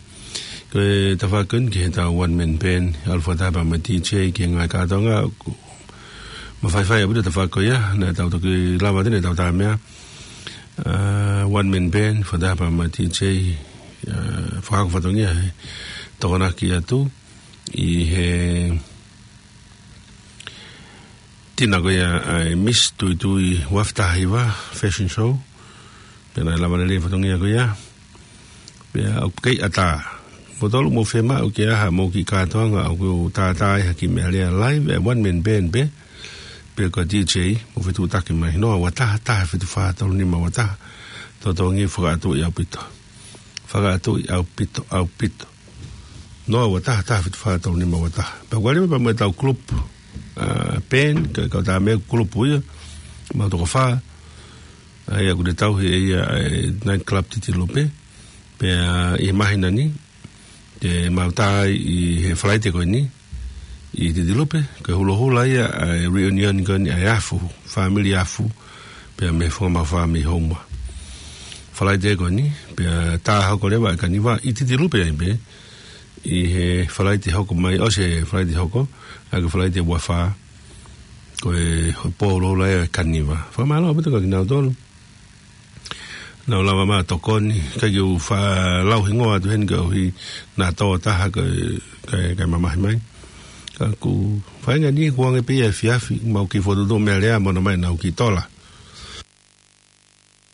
Ko e tafaʻaki ko eni ki heʻetau one man band, ʻalu fakataha pea mo e D J ki he ngaahi kātoanga, ʻoku mafaifai ʻaupito e tafaʻaki ko ia, naʻa tau toki lava atu eni ʻetau tā meʻa. Uh, one man band, fakataha pea mo e D J, uh, fakahoko fatongia he Tokonaki Atu ʻi he tina ko ia ʻa e Miss Tuitui ua afe taha hiva Fashion Show. Pea naʻe lava lelei e fatongia ko ia. Pea ʻoku kei ʻatā. Mou tolu mou fiemaʻu ke ʻai haʻamou kiʻi kātoanga ʻoku tātā ai ha kiʻi meʻalea live, ʻa e one man band pē, pe ko e D J, mou fetuʻutaki mai. Noa ua taha, taha fitu fā tolu nima ua taha. Totongi fakaʻatuʻi ʻaupito. Fakaʻatuʻi ʻaupito, ʻaupito. Noa ua taha, taha fitu fā tolu nima ua taha. Pea ʻoku ʻalu mai pea mo ʻetau group, uh, band, ko e kau tā meʻa group ia, mau toko fā. ʻA ia ʻoku ne tauhi ʻe ia e night club Titilupe. Pea ʻi he māhina ni, te mau tā ai ʻi he Falaite ko eni ʻi Titilupe, ko e hulohula ia ʻa e reunion ko eni ʻa e Afu, family Afu, pea mo e Funga Maʻu Fā mei Houma. Falaite ko eni, pea tā hoko leva e kaniva ʻi Titilupe ai pē, ʻi he Falaite hoko mai, ʻosi e Falaite hoko, ʻa ia ko e Falaite ua fā, ko e pō hulohula ia e kaniva. Fakamālō ʻaupito kiate kinautolu naʻa nau lava mai ʻo tokoni, ʻikai ke u faʻa lau hingoa atu heni koeʻuhi naʻa tō taha kae, kae, kae mamahi mai. Ka ʻoku feinga ni kuo hangē pē ia e efiafi, mau kiʻi fokotuʻutuʻu meʻalea mo nau ō mai ʻo nau kiʻi tola.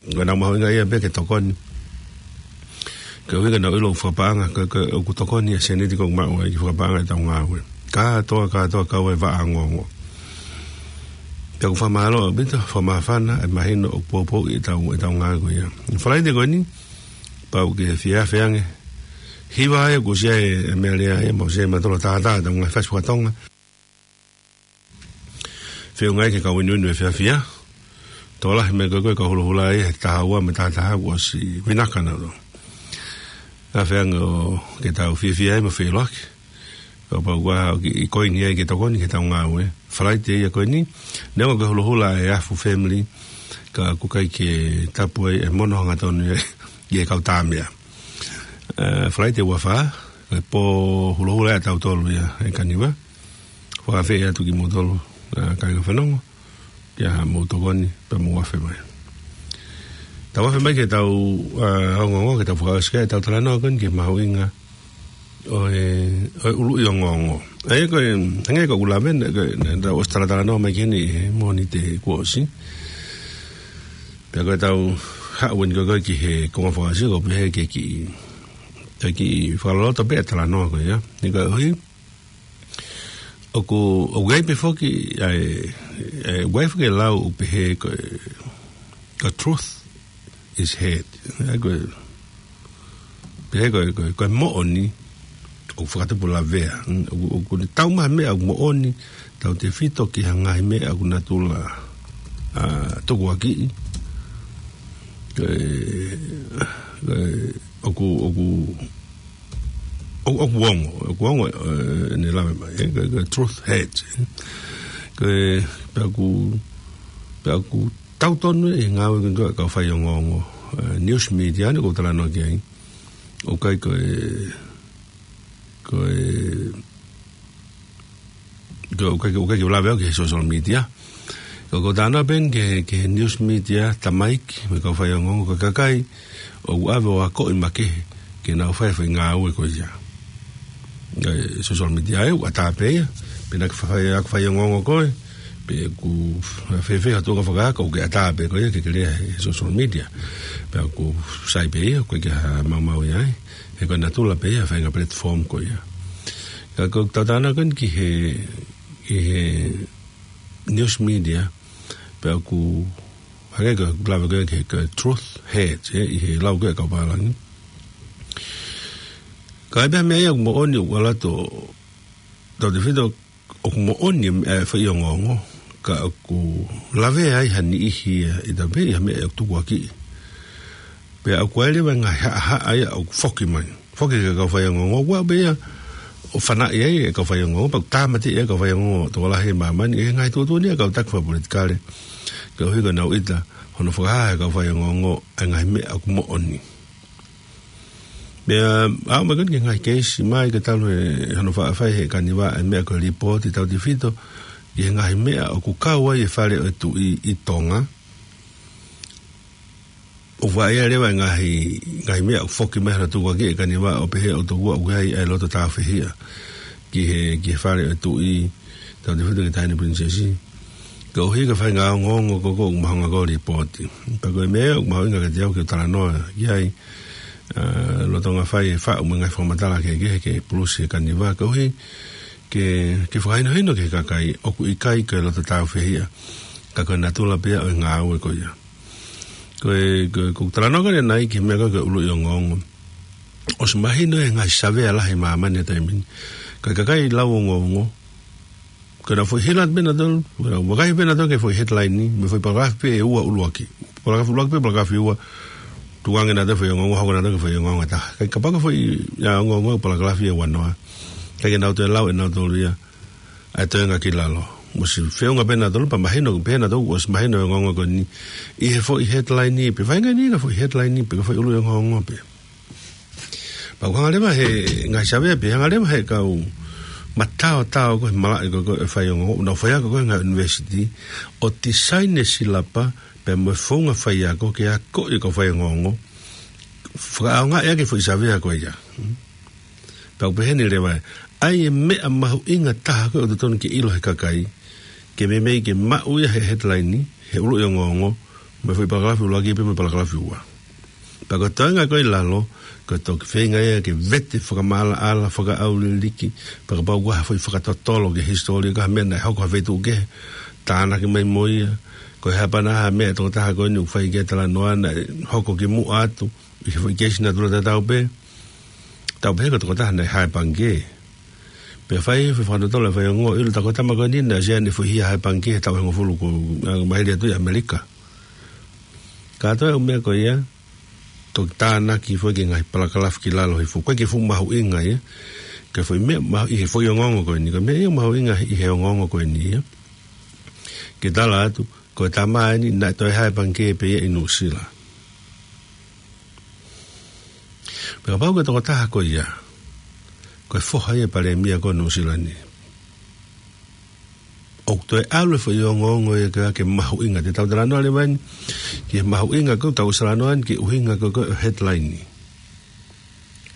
Ko ʻenau mahuʻinga ia pē ke tokoni. Koeʻuhi ke nau ʻilo fakapaʻanga, ko, ko, ʻoku tokoni e sēniti ko ē ʻoku maʻu ai ki he fakapaʻanga ʻetau ngāue. Kātoa, kātoa, kau ai e vaʻa ongoongo. Pea ʻoku fakamālō ʻaupito, fakamāfana e mahino ʻoku poupouʻi ʻetau, ʻetau ngāue ko ia. Falaite ko eni, pau ke fie afe ange. Hiva ai ʻoku ʻosi ʻi ai e meʻalea ia, mau ʻosi ʻi ai mautolu ʻo tātā ʻetau ngaahi fasi fakatonga. Feʻunga ai ke kau inuinu e efiafi ia. Tokolahi mei he ko e kau hulohula ia he taha ua mo e taha taha kuo ʻosi vinaka nautolu. Afe ange ʻo ke tau fiefia ai mo feʻiloaki. Kapau ʻoku ʻi ai ha kiʻi koini ai ke tokoni ki heʻetau ngāue. Falaite ia ko eni. Neongo ko e hulohula e Afu family, ka ʻoku ʻikai ke tapu ai e mono hangatonu ia ʻi he kau tā meʻa. Eh, Falaite ua fā, ko e pō hulohula ia ʻatautolu ia e kaniva. Fakaafeʻi atu kimoutolu, ʻa, kāinga fanongo, ke ʻai haʻamou tokoni, pea mou afe mai. Tau afe mai ki heʻetau, ʻa, ongoongo, ke tau fakaʻosi ki ai ʻetau talanoa ko eni ki he mahuʻinga ʻo e, ʻo e ʻuluʻi ongoongo. ʻA ia ko e, hangē ko ʻeku lave, naʻe, ko e, naʻa tau ʻosi talatalanoa mai ki heni he Mōnite kuo ʻosi. Pea ko ʻetau haʻu eni ko ē ki he konga fakaʻosi, ʻoku pehē ke kiʻi, ke kiʻi fakaloloto pē e talanoa ko ia. Ni ka ʻohi, ʻoku, ʻoku ʻi ai pē foki, ʻa e, ʻa e, ʻoku ʻi ai foki e lau ʻoku pehē ko e, ko e truth is hate. ʻA ia ko e, pehē ko e, ko e, ko e moʻoni ʻoku fakatupu lavea. ʻOku, ʻoku ne tau mai meʻa ʻoku moʻoni, tautefito ki ha ngaahi meʻa ʻoku natula, ʻa, tukuakiʻi. Ko e, ko e, ʻoku, ʻoku, ʻo, ʻoku ongo, ʻoku ongo, eh, ʻene lave mai, eh, ko e, ko e truth hurts, eh. Ko e, pea ʻoku, pea ʻoku tau tonu e ngāue ko ē ʻa e kau faiongoongo, eh, news media, ne ʻoku ou talanoa ki ai. ʻOku ʻikai ko e, ko e, ko e, ʻoku ʻikai, ʻoku ʻikai ke u lave au ki he social media. Ka ʻoku ou talanoa pē eni ki he, ki he news media, tamaiki, mo e kau faiongoongo, ko e kakai ʻoku ʻave ʻo akoʻi makehe ke nau fai e foʻi ngāue ko ia. ʻA e social media ē, ʻoku ʻatā pē ia, pe naʻa ke fai, ʻa e faiongoongo koe, Pea ʻoku fēfē ha tuʻunga fakaako ʻoku ke ʻatā pē ko ia ke ke lea he social media. Pea ʻoku sai pē ia, ʻoku ʻikai ke ʻi ai ha maumau ia ai. He ko e natula pē ia, faʻahinga platform ko ia. Ka ko e tau tānaki ko eni ki he, ki he news media, pea ʻoku hangē ko e lave ko ē ki he, ko e truth hurts, ē, ʻi he lau ko ē ʻa e kau pālangi. Ka ʻi ai pē ha meʻa ia ʻoku moʻoni ʻoku ala to, tau te fito ʻoku moʻoni e, e foʻi ongoongo, ka ʻoku lavea ai ha niʻihi ia ʻi he taimi pē ʻi ha meʻa ʻoku tukuakiʻi. Pea ʻoku ʻi ai leva e ngaahi haʻahaʻa ia ʻoku foki mai. Foki ki he kau faiongoongo, ʻoua pē ia ʻo fanaʻi ai e kau faiongoongo, pea ʻoku tāmateʻi ai e kau faiongoongo tokolahi ʻi māmani, ʻi he ngaahi tuʻutuʻuni ʻa e kau taki fakapolitikale. Koeʻuhi ko ʻenau ʻita hono fakahā ʻe he kau faiongoongo ʻa e ngaahi meʻa ʻoku moʻoni. Pea aʻu mai ko eni ki he ngaahi keisi mai ke talu e hono faʻa fai ʻe he kaniva e meʻa ko e lipooti tautefito ki he ngaahi meʻa ʻoku kau ai e Fale ʻo e Tuʻi ʻi Tonga. ʻOku ʻi ai leva e ngaahi, ngaahi meʻa ʻoku foki mai hono tukuakiʻi ʻe he kaniva ʻo pehē ʻoku tokua ʻoku ʻi ai e loto tāufehiʻa ki he, ki he Fale ʻo e Tuʻi tautefito ki he Taʻahine Pilinisesi. Koeʻuhi ko e faʻahinga ongoongo ko ē ʻoku mahonga ko ē ʻo lipooti. Pea ko e meʻa ʻoku mahuʻinga kiate au ke u talanoa ki ai, ʻa, lolotonga fai e faʻu mo e ngaahi fakamatala kehekehe ke pulusi e kaniva. Koeʻuhi ke, ke fakahinohino ki he kakai ʻoku ʻikai ko e loto tāufehiʻa, ka ko e natula pē ia ʻo e ngāue ko ia. Ko e, ko e, ko e talanoa ko eni ki he meʻa ko ē ko e ʻuluʻi ongoongo. ʻOsi mahino ʻe he ngaahi savea lahi ʻi māmani he taimi ni, ko e kakai lau ongoongo, ko ʻenau foʻi hila pē nautolu, ko ʻenau vakai pē nautolu ki he foʻi headline ni, mo e foʻi palakalafi pē ʻe ua ʻuluaki. Palakalafi ʻuluaki pē, palakalafi ua, tukuange nautolu e foʻi ongoongo, hoko nautolu ki he foʻi ongoongo ʻe taha. Ka ʻi he kapau ko e foʻi, ʻa, ongoongo palakalafi ʻe uanoa, ʻikai ke nau toe lau ʻe nautolu ia ʻa e toenga ki lalo. Mo e feʻunga pē nautolu pea mahino, pē nautolu ʻosi mahino e ongoongo ko eni ʻi he foʻi headline ni, pe faʻahinga ʻeni ko e foʻi headline ni, pe ko e foʻi ʻuluʻi ongoongo pē. Pea ʻoku hanga leva ʻe he ngaahi savea pē, hanga leva ʻe he kau mataotao ko ē he malaʻe ko ē ʻo e faiongoongo, ʻoku nau faiako ko ē he ngaahi university, ʻo tisaini e silapa pea mo e founga faiako ke akoʻi e kau faiongoongo, fakaʻaongaʻi ʻaki e foʻi savea ko ia. Pea ʻoku peheni leva ē, ʻa e meʻa mahuʻinga taha ko ē ʻoku totonu ke ʻilo ʻe he kakai, ke meimei ke maʻu ia he headline ni, he ʻuluʻi ongoongo, mo e foʻi palakalafi ʻuluaki pea mo e palakalafi ua. Pea ko e toenga ko ē ʻi lalo, ko e toki feinga ia ke vete fakamaʻalaʻala, fakaʻauliliki, pea kapau ko ha foʻi fakatotolo ki he hisitōlia, ko ha meʻa naʻe hoko ha feituʻu kehe, tānaki mai mo ia, ko e hā pē ha meʻa ʻa e tokotaha ko eni ʻoku fai ki ai e talanoa naʻe hoko kimuʻa atu, ʻi he foʻi keisi natula tatau pē, tau pehē ko e tokotaha naʻe hā e pangikē. Pea fai e foʻi fakatotolo ʻa e faiongoongo, ʻilo, tā ko e tama ko eni naʻe ʻosi ʻi ai ʻene foʻi hia hā e pangikē he taʻu ʻe hongofulu kuo, ʻa, maheli atu ʻi ʻAmelika. Kātoa e ʻū meʻa ko ia, toki tānaki foki ki he ngaahi palakalafi ki lalo hifo. ʻOku ʻikai ke fuʻu mahuʻinga ia ki he foʻi meʻa mahu-, ʻi he foʻi ongoongo ko eni. Ko e meʻa ia ʻoku mahuʻinga ʻi he ongoongo ko eni ia, ke tala atu, ko e tama eni naʻe toe hā e pangikē pē ia ʻi Nuʻusila. Pea kapau ko e tokotaha ko ia, ko e foha ia e palēmia ko ē ʻo Nuʻusila ni, ʻoku toe ʻalu e foʻi ongoongo ia ke, ke mahuʻinga. Te tau talanoa leva eni ki he mahuʻinga ko ē, tau ʻosi talanoa eni ki he ʻuhinga ko ē ʻo e headline ni.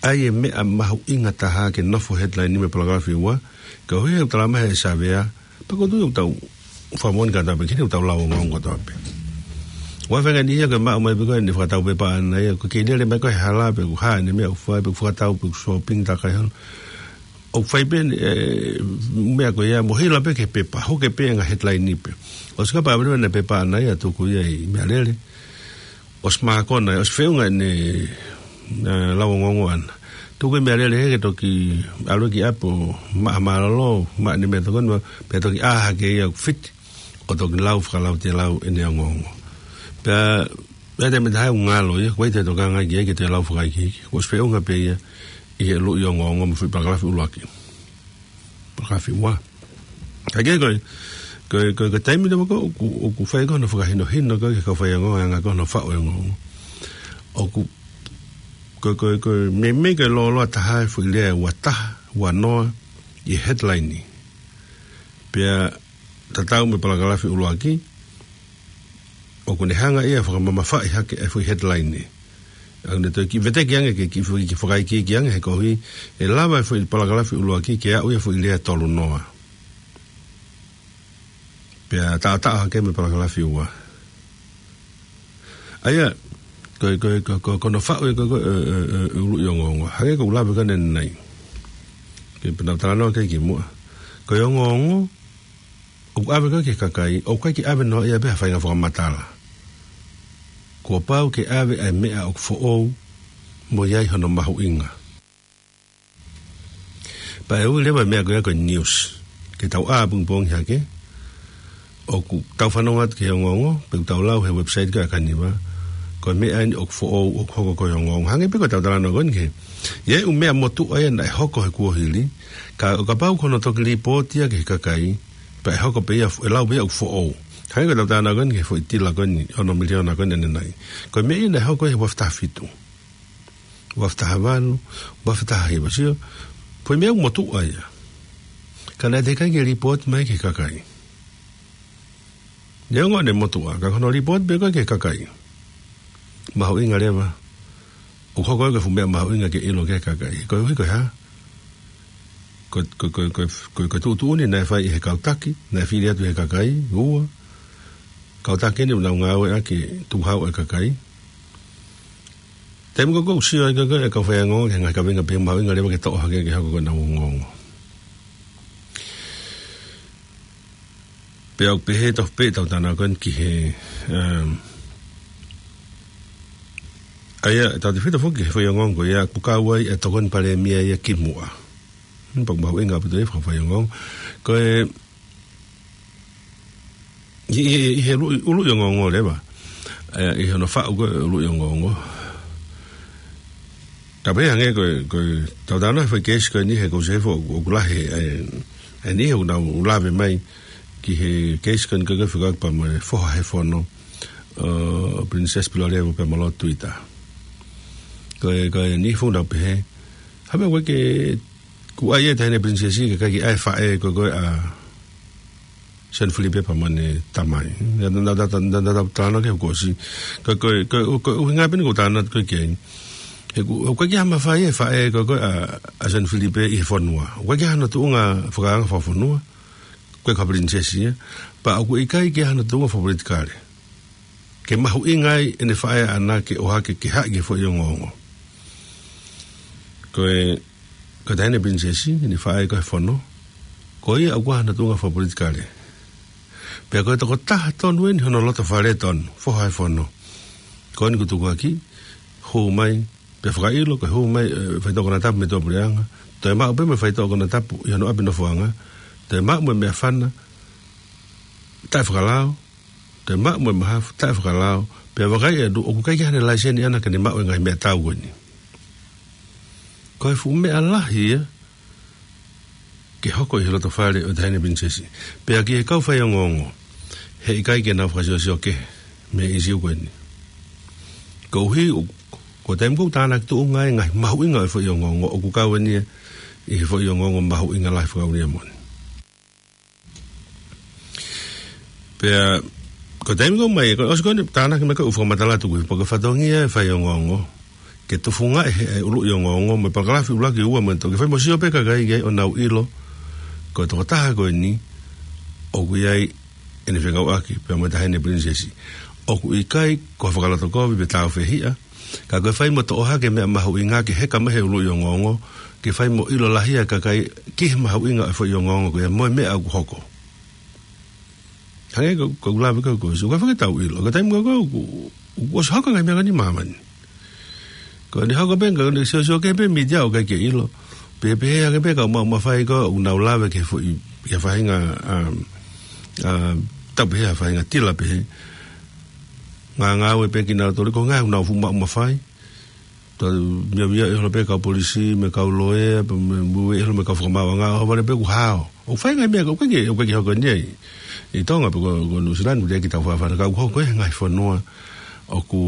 ʻA e meʻa mahuʻinga taha ke nofo he headline ni mo e palakalafi ua, koeʻuhi he ʻoku talamai ʻe he savea, pea ʻoku ou tui ʻoku tau fakamoʻoni kātoa pē, ki heʻetau lau ongoongo kātoa pē. ʻOua ʻe faʻahinga niʻihi ia ke maʻu mai pē ko eni fakatau pepa ʻaʻana ia, ʻoku kei lele mai ko ē he hala, pe ʻoku hā ʻene meʻa ʻoku fai, pe ʻoku fakatau, pe ʻoku shopping, tā ko ē holo. ʻOku fai pē, ē, meʻa ko ia, mo hila pē ki he pepa, hoko pē e ngaahi headline ni pē. ʻOsi kapau ʻave leva ʻene pepa ʻaʻana ia, tuku ia ʻi Meʻalele. ʻOsi mākona, ʻosi feʻunga ʻene, ē, lau ongoongo ʻaʻana. Tuku ʻi Meʻalele hē ke toki ʻalu ki ʻapi ʻo maʻa mālōlō, maʻa ʻene meʻatokoni, pea toki ʻā hake ia ʻoku fiti, ʻo toki lau fakalautelau ʻene ongoongo. Pea, pea te mita hai ʻoku ngalo ia, ʻoku ʻikai te tokanga ki ai ke te lau fakaikiiki. ʻOsi feʻunga pē ia ʻi he ʻuluʻi ongoongo mo e foʻi palakalafi ʻuluaki. Palakalafi ua. Ka ke ko e, ko e, ko e, ko e taimi leva ko ē ʻoku, ʻoku fai ko ē hono fakahinohino ko ē ki he kau faiongoongo, anga ko ē hono faʻu e ongoongo. ʻOku, ko e, ko e, ko e, meimei ko e lōloa taha e foʻi lea ʻe ua taha, ua noa, ʻi he headline ni. Pea tatau mo e palakalafi ʻuluaki, ʻoku ne hanga ia ʻo fakamamafaʻi hake e foʻi headline ni. ʻOku ne toe kiʻi veteki ange ke kiʻi foʻi kiʻi fakaikiiki ange he koeʻuhi ʻe lava e foʻi palakalafi ʻuluaki ke aʻu ia foʻi lea tolu noa. Pea taʻataʻa hake mo e palakalafi ua. ʻA ia, ko e, ko e, ko e, ko e, ko hono faʻu ē ko e, ko e, e, e, e uluʻi ongoongo. Hangē ko ʻeku lave ko eni ʻanenai. Ke pena talanoa ki ai kimuʻa. Ko e ongoongo, ʻoku ʻave ko ē ki he kakai, ʻoku ʻikai ke ʻave noa ia pē ha faʻahinga fakamatala. Kuo pau ke ʻave ʻa e meʻa ʻoku foʻou, mo ʻi ai hono mahuʻinga. Pea ʻe ui leva e meʻa ko ia ko e news. Ke tau ʻā pongipongi hake, ʻoku tau fanongo atu ki he ongoongo, pe ʻoku tau lau he website ko ē ʻa Kaniva, ko e meʻa eni ʻoku foʻou ʻoku hoko ko e ongoongo. Hangē pē ko ʻetau talanoa ko eni ki he. ʻI ai e ʻū meʻa motuʻa ia naʻe hoko he kuohili, ka ʻo kapau ko hono toki lipooti ia ki he kakai, pea ʻe hoko pē ia, ʻe lau pē ia ʻoku foʻou. Hangē ko ʻetau talanoa ko eni ki he foʻi tila ko eni, ono miliona ko eni ʻanenai. Ko e meʻa ia naʻe hoko he ua afe taha fitu. Ua afe taha valu, ua afe taha hiva, sio. Ko e meʻa ʻoku motuʻa ia. Ka naʻe teʻeki ai ke lipooti mai ki he kakai. Neongo ʻene motuʻa, ka ko hono lipooti pē ko ē ki he kakai. Mahuʻinga leva. ʻOku hoko ko e fuʻu meʻa mahuʻinga ke ʻilo ki he kakai. Koeʻuhi ko e hā? Ko, ko, ko, ko, ko, ko e tuʻutuʻuni naʻe fai ʻe he kau taki, naʻe fili atu ʻe he kakai, ua. Kau taki eni ʻoku nau ngāueʻaki e tukuhau ʻa e kakai. Taimi ko ē ʻoku sio ai ko ē e kau faiongoongo ki he ngaahi kaveinga pehē, mahuʻinga leva ke toʻo hake ke hoko ko ʻenau ongoongo. Pea ʻoku pehē tofu pē ʻetau talanoa ko eni ki he, um, ʻa ia, tautefito foki ki he faiongoongo ia, ʻoku kau ai e tokoni palēmia ia kimuʻa. Hmm, pea ʻoku mahuʻinga ʻaupito ia fakafaiongoongo. Ko e, ʻi, ʻi, ʻi he ʻuluʻi, ʻuluʻi ongoongo leva. ʻE, ʻi hono faʻu ko ē ʻuluʻi ongoongo. Ka pehē hangē ko e, ko ʻetau talanoa he foʻi keisi ko eni he ʻoku ou sio hifo ʻoku, ʻoku lahi, ʻe, ʻe niʻihi ʻoku nau lave mai ki he keisi ko eni ko e fekauʻaki pea mo e foha he fono, ʻo Princess Pilolevu pea mo Lord Twitter. Ko e, ko e niʻihi foki ʻoku nau pehē, ha meʻa ʻoku ʻikai ke kuo ʻai ʻe he Taʻahine Pilinisesi ke ʻikai ke ʻi ai e faʻē ko ē ʻa Sione Filipe pea mo ʻene tamai. Na, na, na, na, na, na, talanoa ki he kuo ʻosi. Ko, ko, ko, ko e ʻuhinga pē eni ʻoku ou talanoa atu ko ē ki ai. He ʻoku, ʻoku ʻikai ke ʻi ai ha mafai e faʻē ko ē ʻa, ʻa Sione Filipe ʻi he fonua. ʻOku ʻikai ke ʻi ai hano tuʻunga fakaanga fakafonua. Ko e kau Pilinisesi ia. Pea ʻoku ʻikai ke ʻi ai hano tuʻunga fakapolitikale. Ke mahuʻinga ai ʻene faʻē ʻaʻana ke ʻohake ke haʻi ki he foʻi ongoongo. Ko e, ko e Taʻahine Pilinisesi, ʻene faʻē ko ē he fono. Ko ia ʻoku ʻikai hano tuʻunga fakapolitikale. Pea ko e tokotaha tonu eni hono lotofale tonu, foha he fono. Ko eni kuo tukuakiʻi, hū mai, pea fakaʻilo, ko e hū mai, ʻe, faitoʻo konatapu mei tuʻapuleʻanga. Toe maʻu pē mo e faitoʻo konatapu ʻi hono ʻapi nofoʻanga. Toe maʻu mo e meʻafana, taʻefakalao. Toe maʻu mo e mahafu, taʻefakalao, pea vakai atu ʻoku ʻikai ke ʻi ai haʻane laiseni ʻaʻana ke ne maʻu e ngaahi meʻatau ko eni. Ko e fuʻu meʻa lahi ia, ke hoko ʻi he lotofale ʻo e Taʻahine Pilinisesi. Pea ki he kau faiongoongo, heʻikai ke nau fakasiosio kehe, mei he ʻīsiu ko eni. Koeʻuhi, ʻo, ko e taimi ko ē ʻoku tānaki tuʻunga ai e ngaahi mahuʻinga ʻo e foʻi ongoongo, ʻoku kau eni ia, ʻi he foʻi ongoongo mahuʻinga lahi fakaʻuliʻanga moʻoni. Pea, ko e taimi ko ē mai, ko e ʻosi ko eni tānaki mai ko ē ʻū fakamatala tuku, pea ko e fatongia e faiongoongo. Ke tufungaʻi he, e ʻuluʻi ongoongo, mo e palakalafi ʻuluaki ua mo e toki fai mo sio pē kakai ki ai ʻo nau ʻilo. Ko e tokotaha ko eni, ʻoku ʻi ai ʻene fekauʻaki, pea mo e Taʻahine Pilinisesi. ʻOku ʻikai, ko e fakalotokovi pe tāufehiʻa, ka ko e fai mo toʻo hake e meʻa mahuʻinga ke heka mai he ʻuluʻi ongoongo, ke fai mo ʻilo lahi ʻa e kakai ki he mahuʻinga ʻo e foʻi ongoongo ko ia mo e meʻa ʻoku hoko. Hangē ko, ko ʻeku lave ko ē kuo ʻosi, ʻoku ʻikai ke tau ʻilo, ko e taimi ko ē ʻoku, ʻoku ʻosi hoko e ngaahi meʻa ko eni ʻi māmani. Ko ʻene hoko pē, ko ʻene siosio kehe pē mītia ʻoku ʻikai ke ʻilo. Pea, pea hangē pē kau maʻu mafai ko ē ʻoku nau lave ki he foʻi, ki ha faʻahinga, um, um, tau pehē ha faʻahinga tila pehē. Ngāngāue pē kinautolu ko e ngaahi ʻoku nau fuʻu maʻu mafai. Tau meʻa meʻa ʻi holo pē kau polisi, mo e kau loea, pea mo e, mo e ʻi holo mo e kau fakamaauʻanga, ʻo vale pē ʻoku hao. ʻOku fai e ngaahi meʻa, ʻoku ʻikai ke, ʻoku ʻikai ke hoko eni ia ʻi, ʻi Tonga pe ko, ko Nuʻusila ni, ʻoku teʻeki tau fakafana, ka ʻoku hoko ʻi he ngaahi fonua ʻoku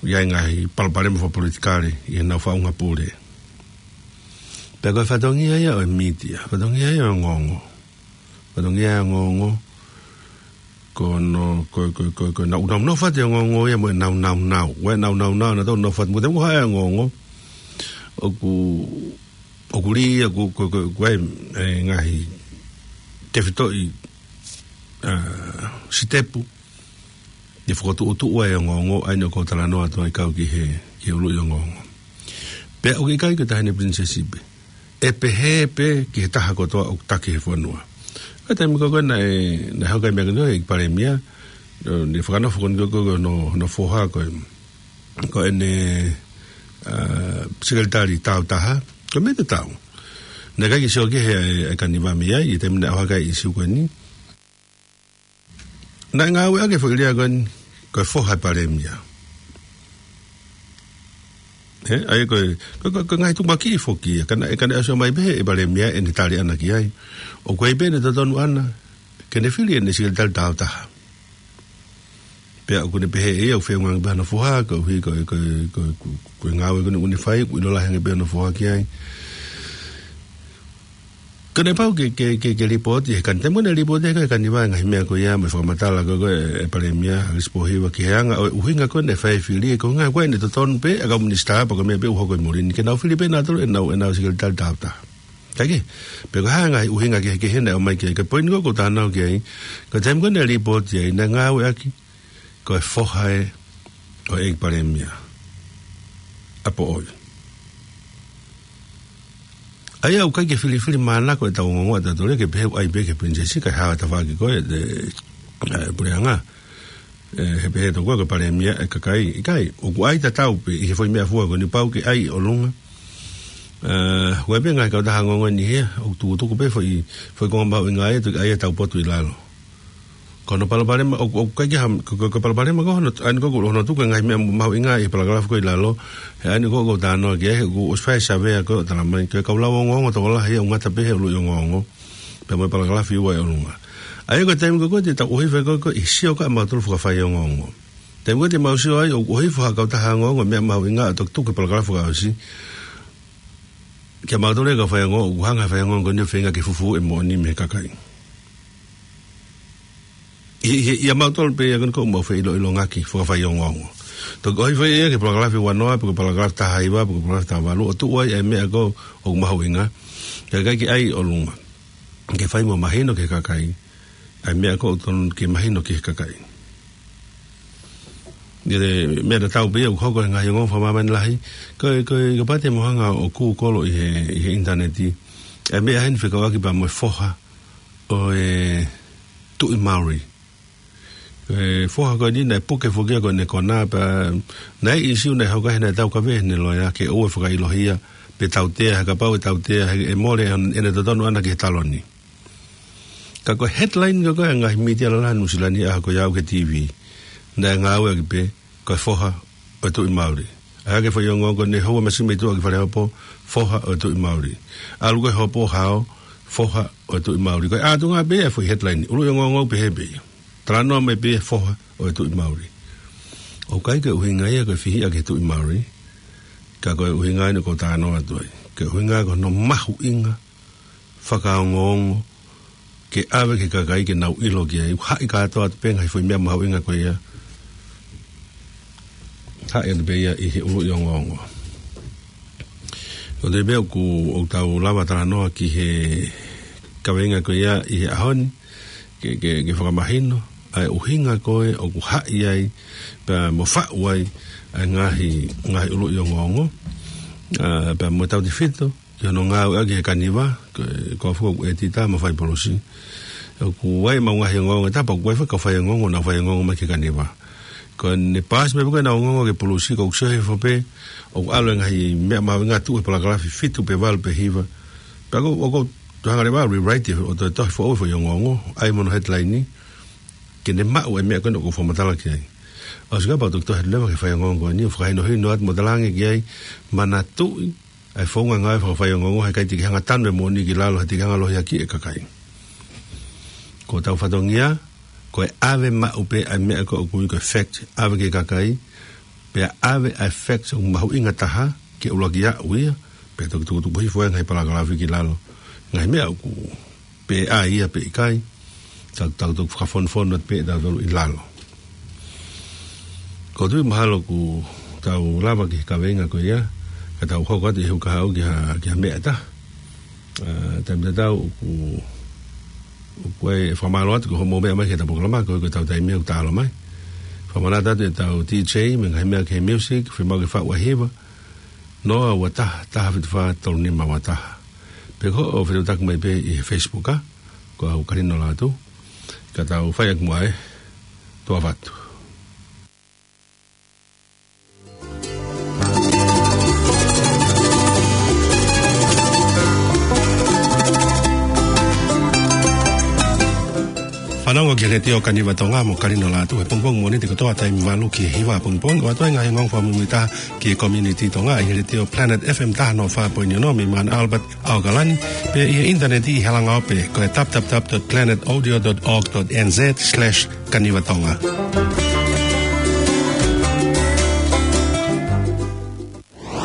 ʻi ai e ngaahi palopalema fakapolitikale ʻi heʻenau faʻunga pule. Pea ko e fatongia ia ʻo e mītia, fatongia ia ʻo e ongoongo. Fatongia e ongoongo, ko hono, ko, ko, ko, ko ʻenau, nau, nau fate ongoongo ia mo ʻenau, nau, nau. Ua ʻenau, nau, nau, ʻenau tau, nau fate, mo te mo hae ongoongo. ʻOku, ʻoku lī ia, ko, ko, ko, ko e, e ngaahi tefitoʻi ʻa, sitepu, ʻi he fokotuʻutuʻu ʻa e ongoongo, ʻa ia ʻoku ou talanoa atu ai kau ki he, ki he ʻuluʻi ongoongo. Pea ʻoku ʻikai ko e taʻahine pilinisesi pē. ʻE pehē pē ki he taha kotoa ʻoku taki he fonua. Ka taimi ko ē naʻe, naʻe hoko ai e meʻa ko eni, ʻEiki Palēmia, ʻo ne fakanofo ko eni ko ē hono, hono foha ko e, ko ʻene, ʻa, sekelitali tāutaha, ko e meʻa tatau. Naʻe ʻikai ke sio ki he, ʻa e Kaniva mei ai, ʻi he taimi naʻe ʻohake ai e ʻīsiu ko eni. Naʻe ngāueʻaki e foʻi lea ko eni, ko e foha ʻo e Palēmia. Ē, ʻa ia ko e, ko e, ko e, ko e ngaahi tuʻumakiʻi foki ia, ka naʻe, ka naʻe ʻosi ʻomai pē ʻe he Palēmia ʻene tali ʻana ki ai. ʻOku ʻi ai pē ʻene totonu ʻana, ke ne fili ʻene sekelitali tāutaha. Pea ʻoku ne pehē ʻe ia ʻoku feʻunga ange pē hano foha, koeʻuhi ko e, ko e, ko e, ko e, ko e ngāue ko eni ʻoku ne fai, ʻoku ʻilo lahi ange pē hano foha ki ai. Ka naʻe pau ke, ke, ke, ke lipooti ʻe he Kani-, taimi ko ē naʻe lipooti ʻe he Kaniva e ngaahi meʻa ko ia mo e fakamatala ko ē ʻa e Palēmia, ʻAkilisi Pōhiva, ki he anga ʻo e ʻuhinga ko ē naʻe fai e fili, ko e ʻuhinga ko ē ʻene totonu pē, ʻa e kau minisitā pe ko e meʻa pē ʻoku hoko ʻi muli ni, ke nau fili pē nautolu ʻenau, ʻenau sekelitali tāutaha. Kae kehe, pe ko e hā e ngaahi ʻuhinga kehekehe naʻe ʻomai ki ai, ka ko e poini ko ē ʻoku ou talanoa ki ai, ko e taimi ko ē naʻe lipooti ai, naʻe ngāueʻaki ko e foha ʻo e ʻEiki Palēmia, ʻa Poʻoi. ʻA ia ʻoku ʻikai ke filifilimānako ʻetau ongoongo ʻatautolu ia ke pehē ʻoku ʻai pē ki he pilinisesi kae hao e tafaʻaki ko ē ʻo e, ʻa e puleʻanga. Ē, he pehē tokoua ko e Palēmia ʻa e kakai, ʻikai, ʻoku ʻai tatau pē ʻi he foʻi meʻafua ko eni pau ke ʻai ʻi ʻolunga. Ē, ʻoku ʻi ai pē ngaahi kautaha ongoongo ʻi heni, ʻoku tukutuku pē foʻi, foʻi konga mahuʻinga ia, toki ʻai e tau potu ʻi lalo. Ko hono palopalema, ʻoku, ʻoku ʻikai ke ha-, ko, ko, ko e palopalema ko hono, ʻa eni ko ʻoku ʻi ai hono tuku e ngaahi meʻa mahuʻinga ʻi he palakalafi ko ē ʻi lalo, he ʻa eni ko ē ʻoku ou talanoa ki ai, he ʻoku ʻosi fai e savea ko ē ʻo talamai, ko e kau lau ongoongo tokolahi ʻoku ngata pē he ʻuluʻi ongoongo, pea mo e palakalafi ua ʻi ʻolunga. ʻA ia ko e taimi ko ē te tau ʻohifo ai ko ē ʻi he sio ko ē ʻa mautolu fakafaiongoongo. Taimi ko ē te mau sio ai ʻoku ʻohifo ha kautaha ongoongo meʻa mahuʻinga ʻo toki tuku e palakalafi fakaʻosi, kia mautolu e kau faiongoongo, ʻoku hanga ʻe he faiongoongo ko eni ʻo feinga ke fufū e moʻoni mei he kakai. ʻI, ʻi, ʻia mautolu pē ia ko eni ʻoku mau feʻiloʻilongaki fakafaiongoongo. Toki ʻohifo ia ki he palakalafi ua noa, pe ko e palakalafi taha hiva, pe ko e palakalafi taha valu, ʻo tuʻu ai e meʻa ko ē ʻoku mahuʻinga. Kae ʻikai ke ʻai ʻi ʻolunga. Ke fai mo mahino ki he kakai ʻa e meʻa ko ē ʻoku totonu ke mahino ki he kakai. ʻI he meʻa tatau pē ia ʻoku hoko he ngaahi ongoongo fakamāmani lahi, ko e, ko e, kapau te mou hanga ʻo Google ʻi he, ʻi he ʻinitaneti, ʻa e meʻa heni fekauʻaki pea mo e foha ʻo e Tuʻi Maori. Ko e foha ko eni naʻe puke foki ia ko ʻene kona pea naʻe ʻi ai e ʻīsiu naʻe hoko ai he naʻe taukaveʻi ʻe heʻene loea ke ʻoua ʻe fakaʻilohia pe tautea, he kapau ʻe tautea, he ʻe mole ʻene totonu ʻana ki he taloni. Ka ko e headline ko ē ko ē ʻa e ngaahi mītia lalahi Nuʻusila ni ʻi he ʻaho ko ia ʻoku ʻi he T V, naʻe ngāueʻaki pē ko e foha ʻo e Tuʻi Maori. ʻAi hake e foʻi ongoongo ko eni, houa masiʻi mei tuʻa ki Falehopo, foha ʻo e Tuʻi Maori. ʻAlu ko ē hopo hao, foha ʻo e Tuʻi Maori. Ko e ʻātunga pē ia e foʻi headline, ʻuluʻi ongoongo pehē pē ia. Talanoa mai pē ia e foha ʻo e Tuʻi Maori. ʻOku ʻikai ke ʻuhinga ia ko e fihiʻa ki he Tuʻi Maori, ka ko e ʻuhinga eni ʻoku ou talanoa atu ai. Ko e ʻuhinga ko hono mahuʻinga fakaongoongo ke ʻave ki he kakai ke nau ʻilo ki ai. Haʻi kātoa atu pē ngaahi foʻi meʻa mahuʻinga ko ia. Haʻi atu pē ia ʻi he ʻuluʻi ongoongo. Ko e toe meʻa ʻoku, ʻoku tau lava talanoa ki he kaveinga ko ia ʻi he ʻaho ni, ke, ke, ke fakamahino ʻa e ʻuhinga ko ē ʻoku haʻi ai, pea mo faʻu ai, ʻa e ngaahi, ngaahi ʻuluʻi ongoongo, ʻa, pea mo tautefito ki hono ngāueʻaki ʻe he Kaniva, ko, ko e foʻi ʻētita mo e fai polosi. ʻOku ʻi ai ʻemau ngaahi ongoongo ʻi he taha pē, ʻoku ʻi ai foki e kau faiongoongo naʻa nau faiongoongo mai ki he Kaniva. Ko ʻene paasi mai pē ko ē ʻenau ongoongo ki he polosi, ko ʻeku sio hifo pē, ʻoku ʻalu e ngaahi meʻa mahuʻinga tuʻu he palakalafi fitu pe valu pe hiva. Pea ʻoku, ʻoku ou toe hanga leva ʻo rewrite ʻo toe tohi foʻou e foʻi ongoongo, ʻai mo hono headline ni, ke ne maʻu e meʻa ko ē ʻoku ou fakamatala ki ai. ʻOsi kapau ʻe toki tohi atu leva ki he faiongoongo ko eni, ʻo fakahinohino atu mo talaange ki ai, manatuʻi ʻa e founga ngāue fakafaiongoongo, he ʻikai te ke hanga ʻo tanu e moʻoni ki lalo, he te ke hanga ʻo lohiakiʻi e kakai. Ko hotau fatongia, ko e ʻave maʻu pē ʻa e meʻa ko ē ʻoku ui ko e fact, ʻave ki he kakai, pea ʻave ʻa e fact ʻoku mahuʻinga taha, ke ʻuluaki aʻu ia, pea toki tukutuku hifo ai e ngaahi palakalafi ki lalo. Ngaahi meʻa ʻoku pe ʻai ia pe ʻikai, tau, tau toki fakafonofonu atu pē ʻe tautolu ʻi lalo. ʻOku ou tui mahalo ʻoku tau lava ki he kaveinga ko ia, ka tau hoko atu ʻi he ʻuha kahaʻu ki ha, ki ha meʻa ʻe taha. ʻA, taimi tatau ʻoku Ko e fakamālō atu ki hoʻomou meʻa mai ki heʻetau polokalama, ko e, ko ʻetau taimi ʻoku taʻalo mai. Fakamanatu atu ʻetau D J, mo e ngaahi meʻa ki he music, fiemaʻu ke faʻu ʻa e hiva. Noa ua taha, taha fitu fā, tolu nima ua taha. Pe ko hoʻo fetuʻutaki mai pē ʻi he Facebook, ā? Ko au Kalino Lātū. Ka tau fai ʻaki muʻa e toa fatu. Fanongo ki he Letiō Kaniva Tonga mo Kalino Lātū he pongipongi Mōnite kotoa taimi valu ki he hiva pongipongi, ʻo ʻoatu ai e ngaahi ongoongo fakamuimuitaha ki he community Tonga ʻi he Letiō Planet F M taha noa fā poini ono mei Mount Albert, ʻAokalani, pea ʻi he ʻinitaneti ʻi he langaope ko e w w w dot planet audio dot org dot n z slash kaniva tonga.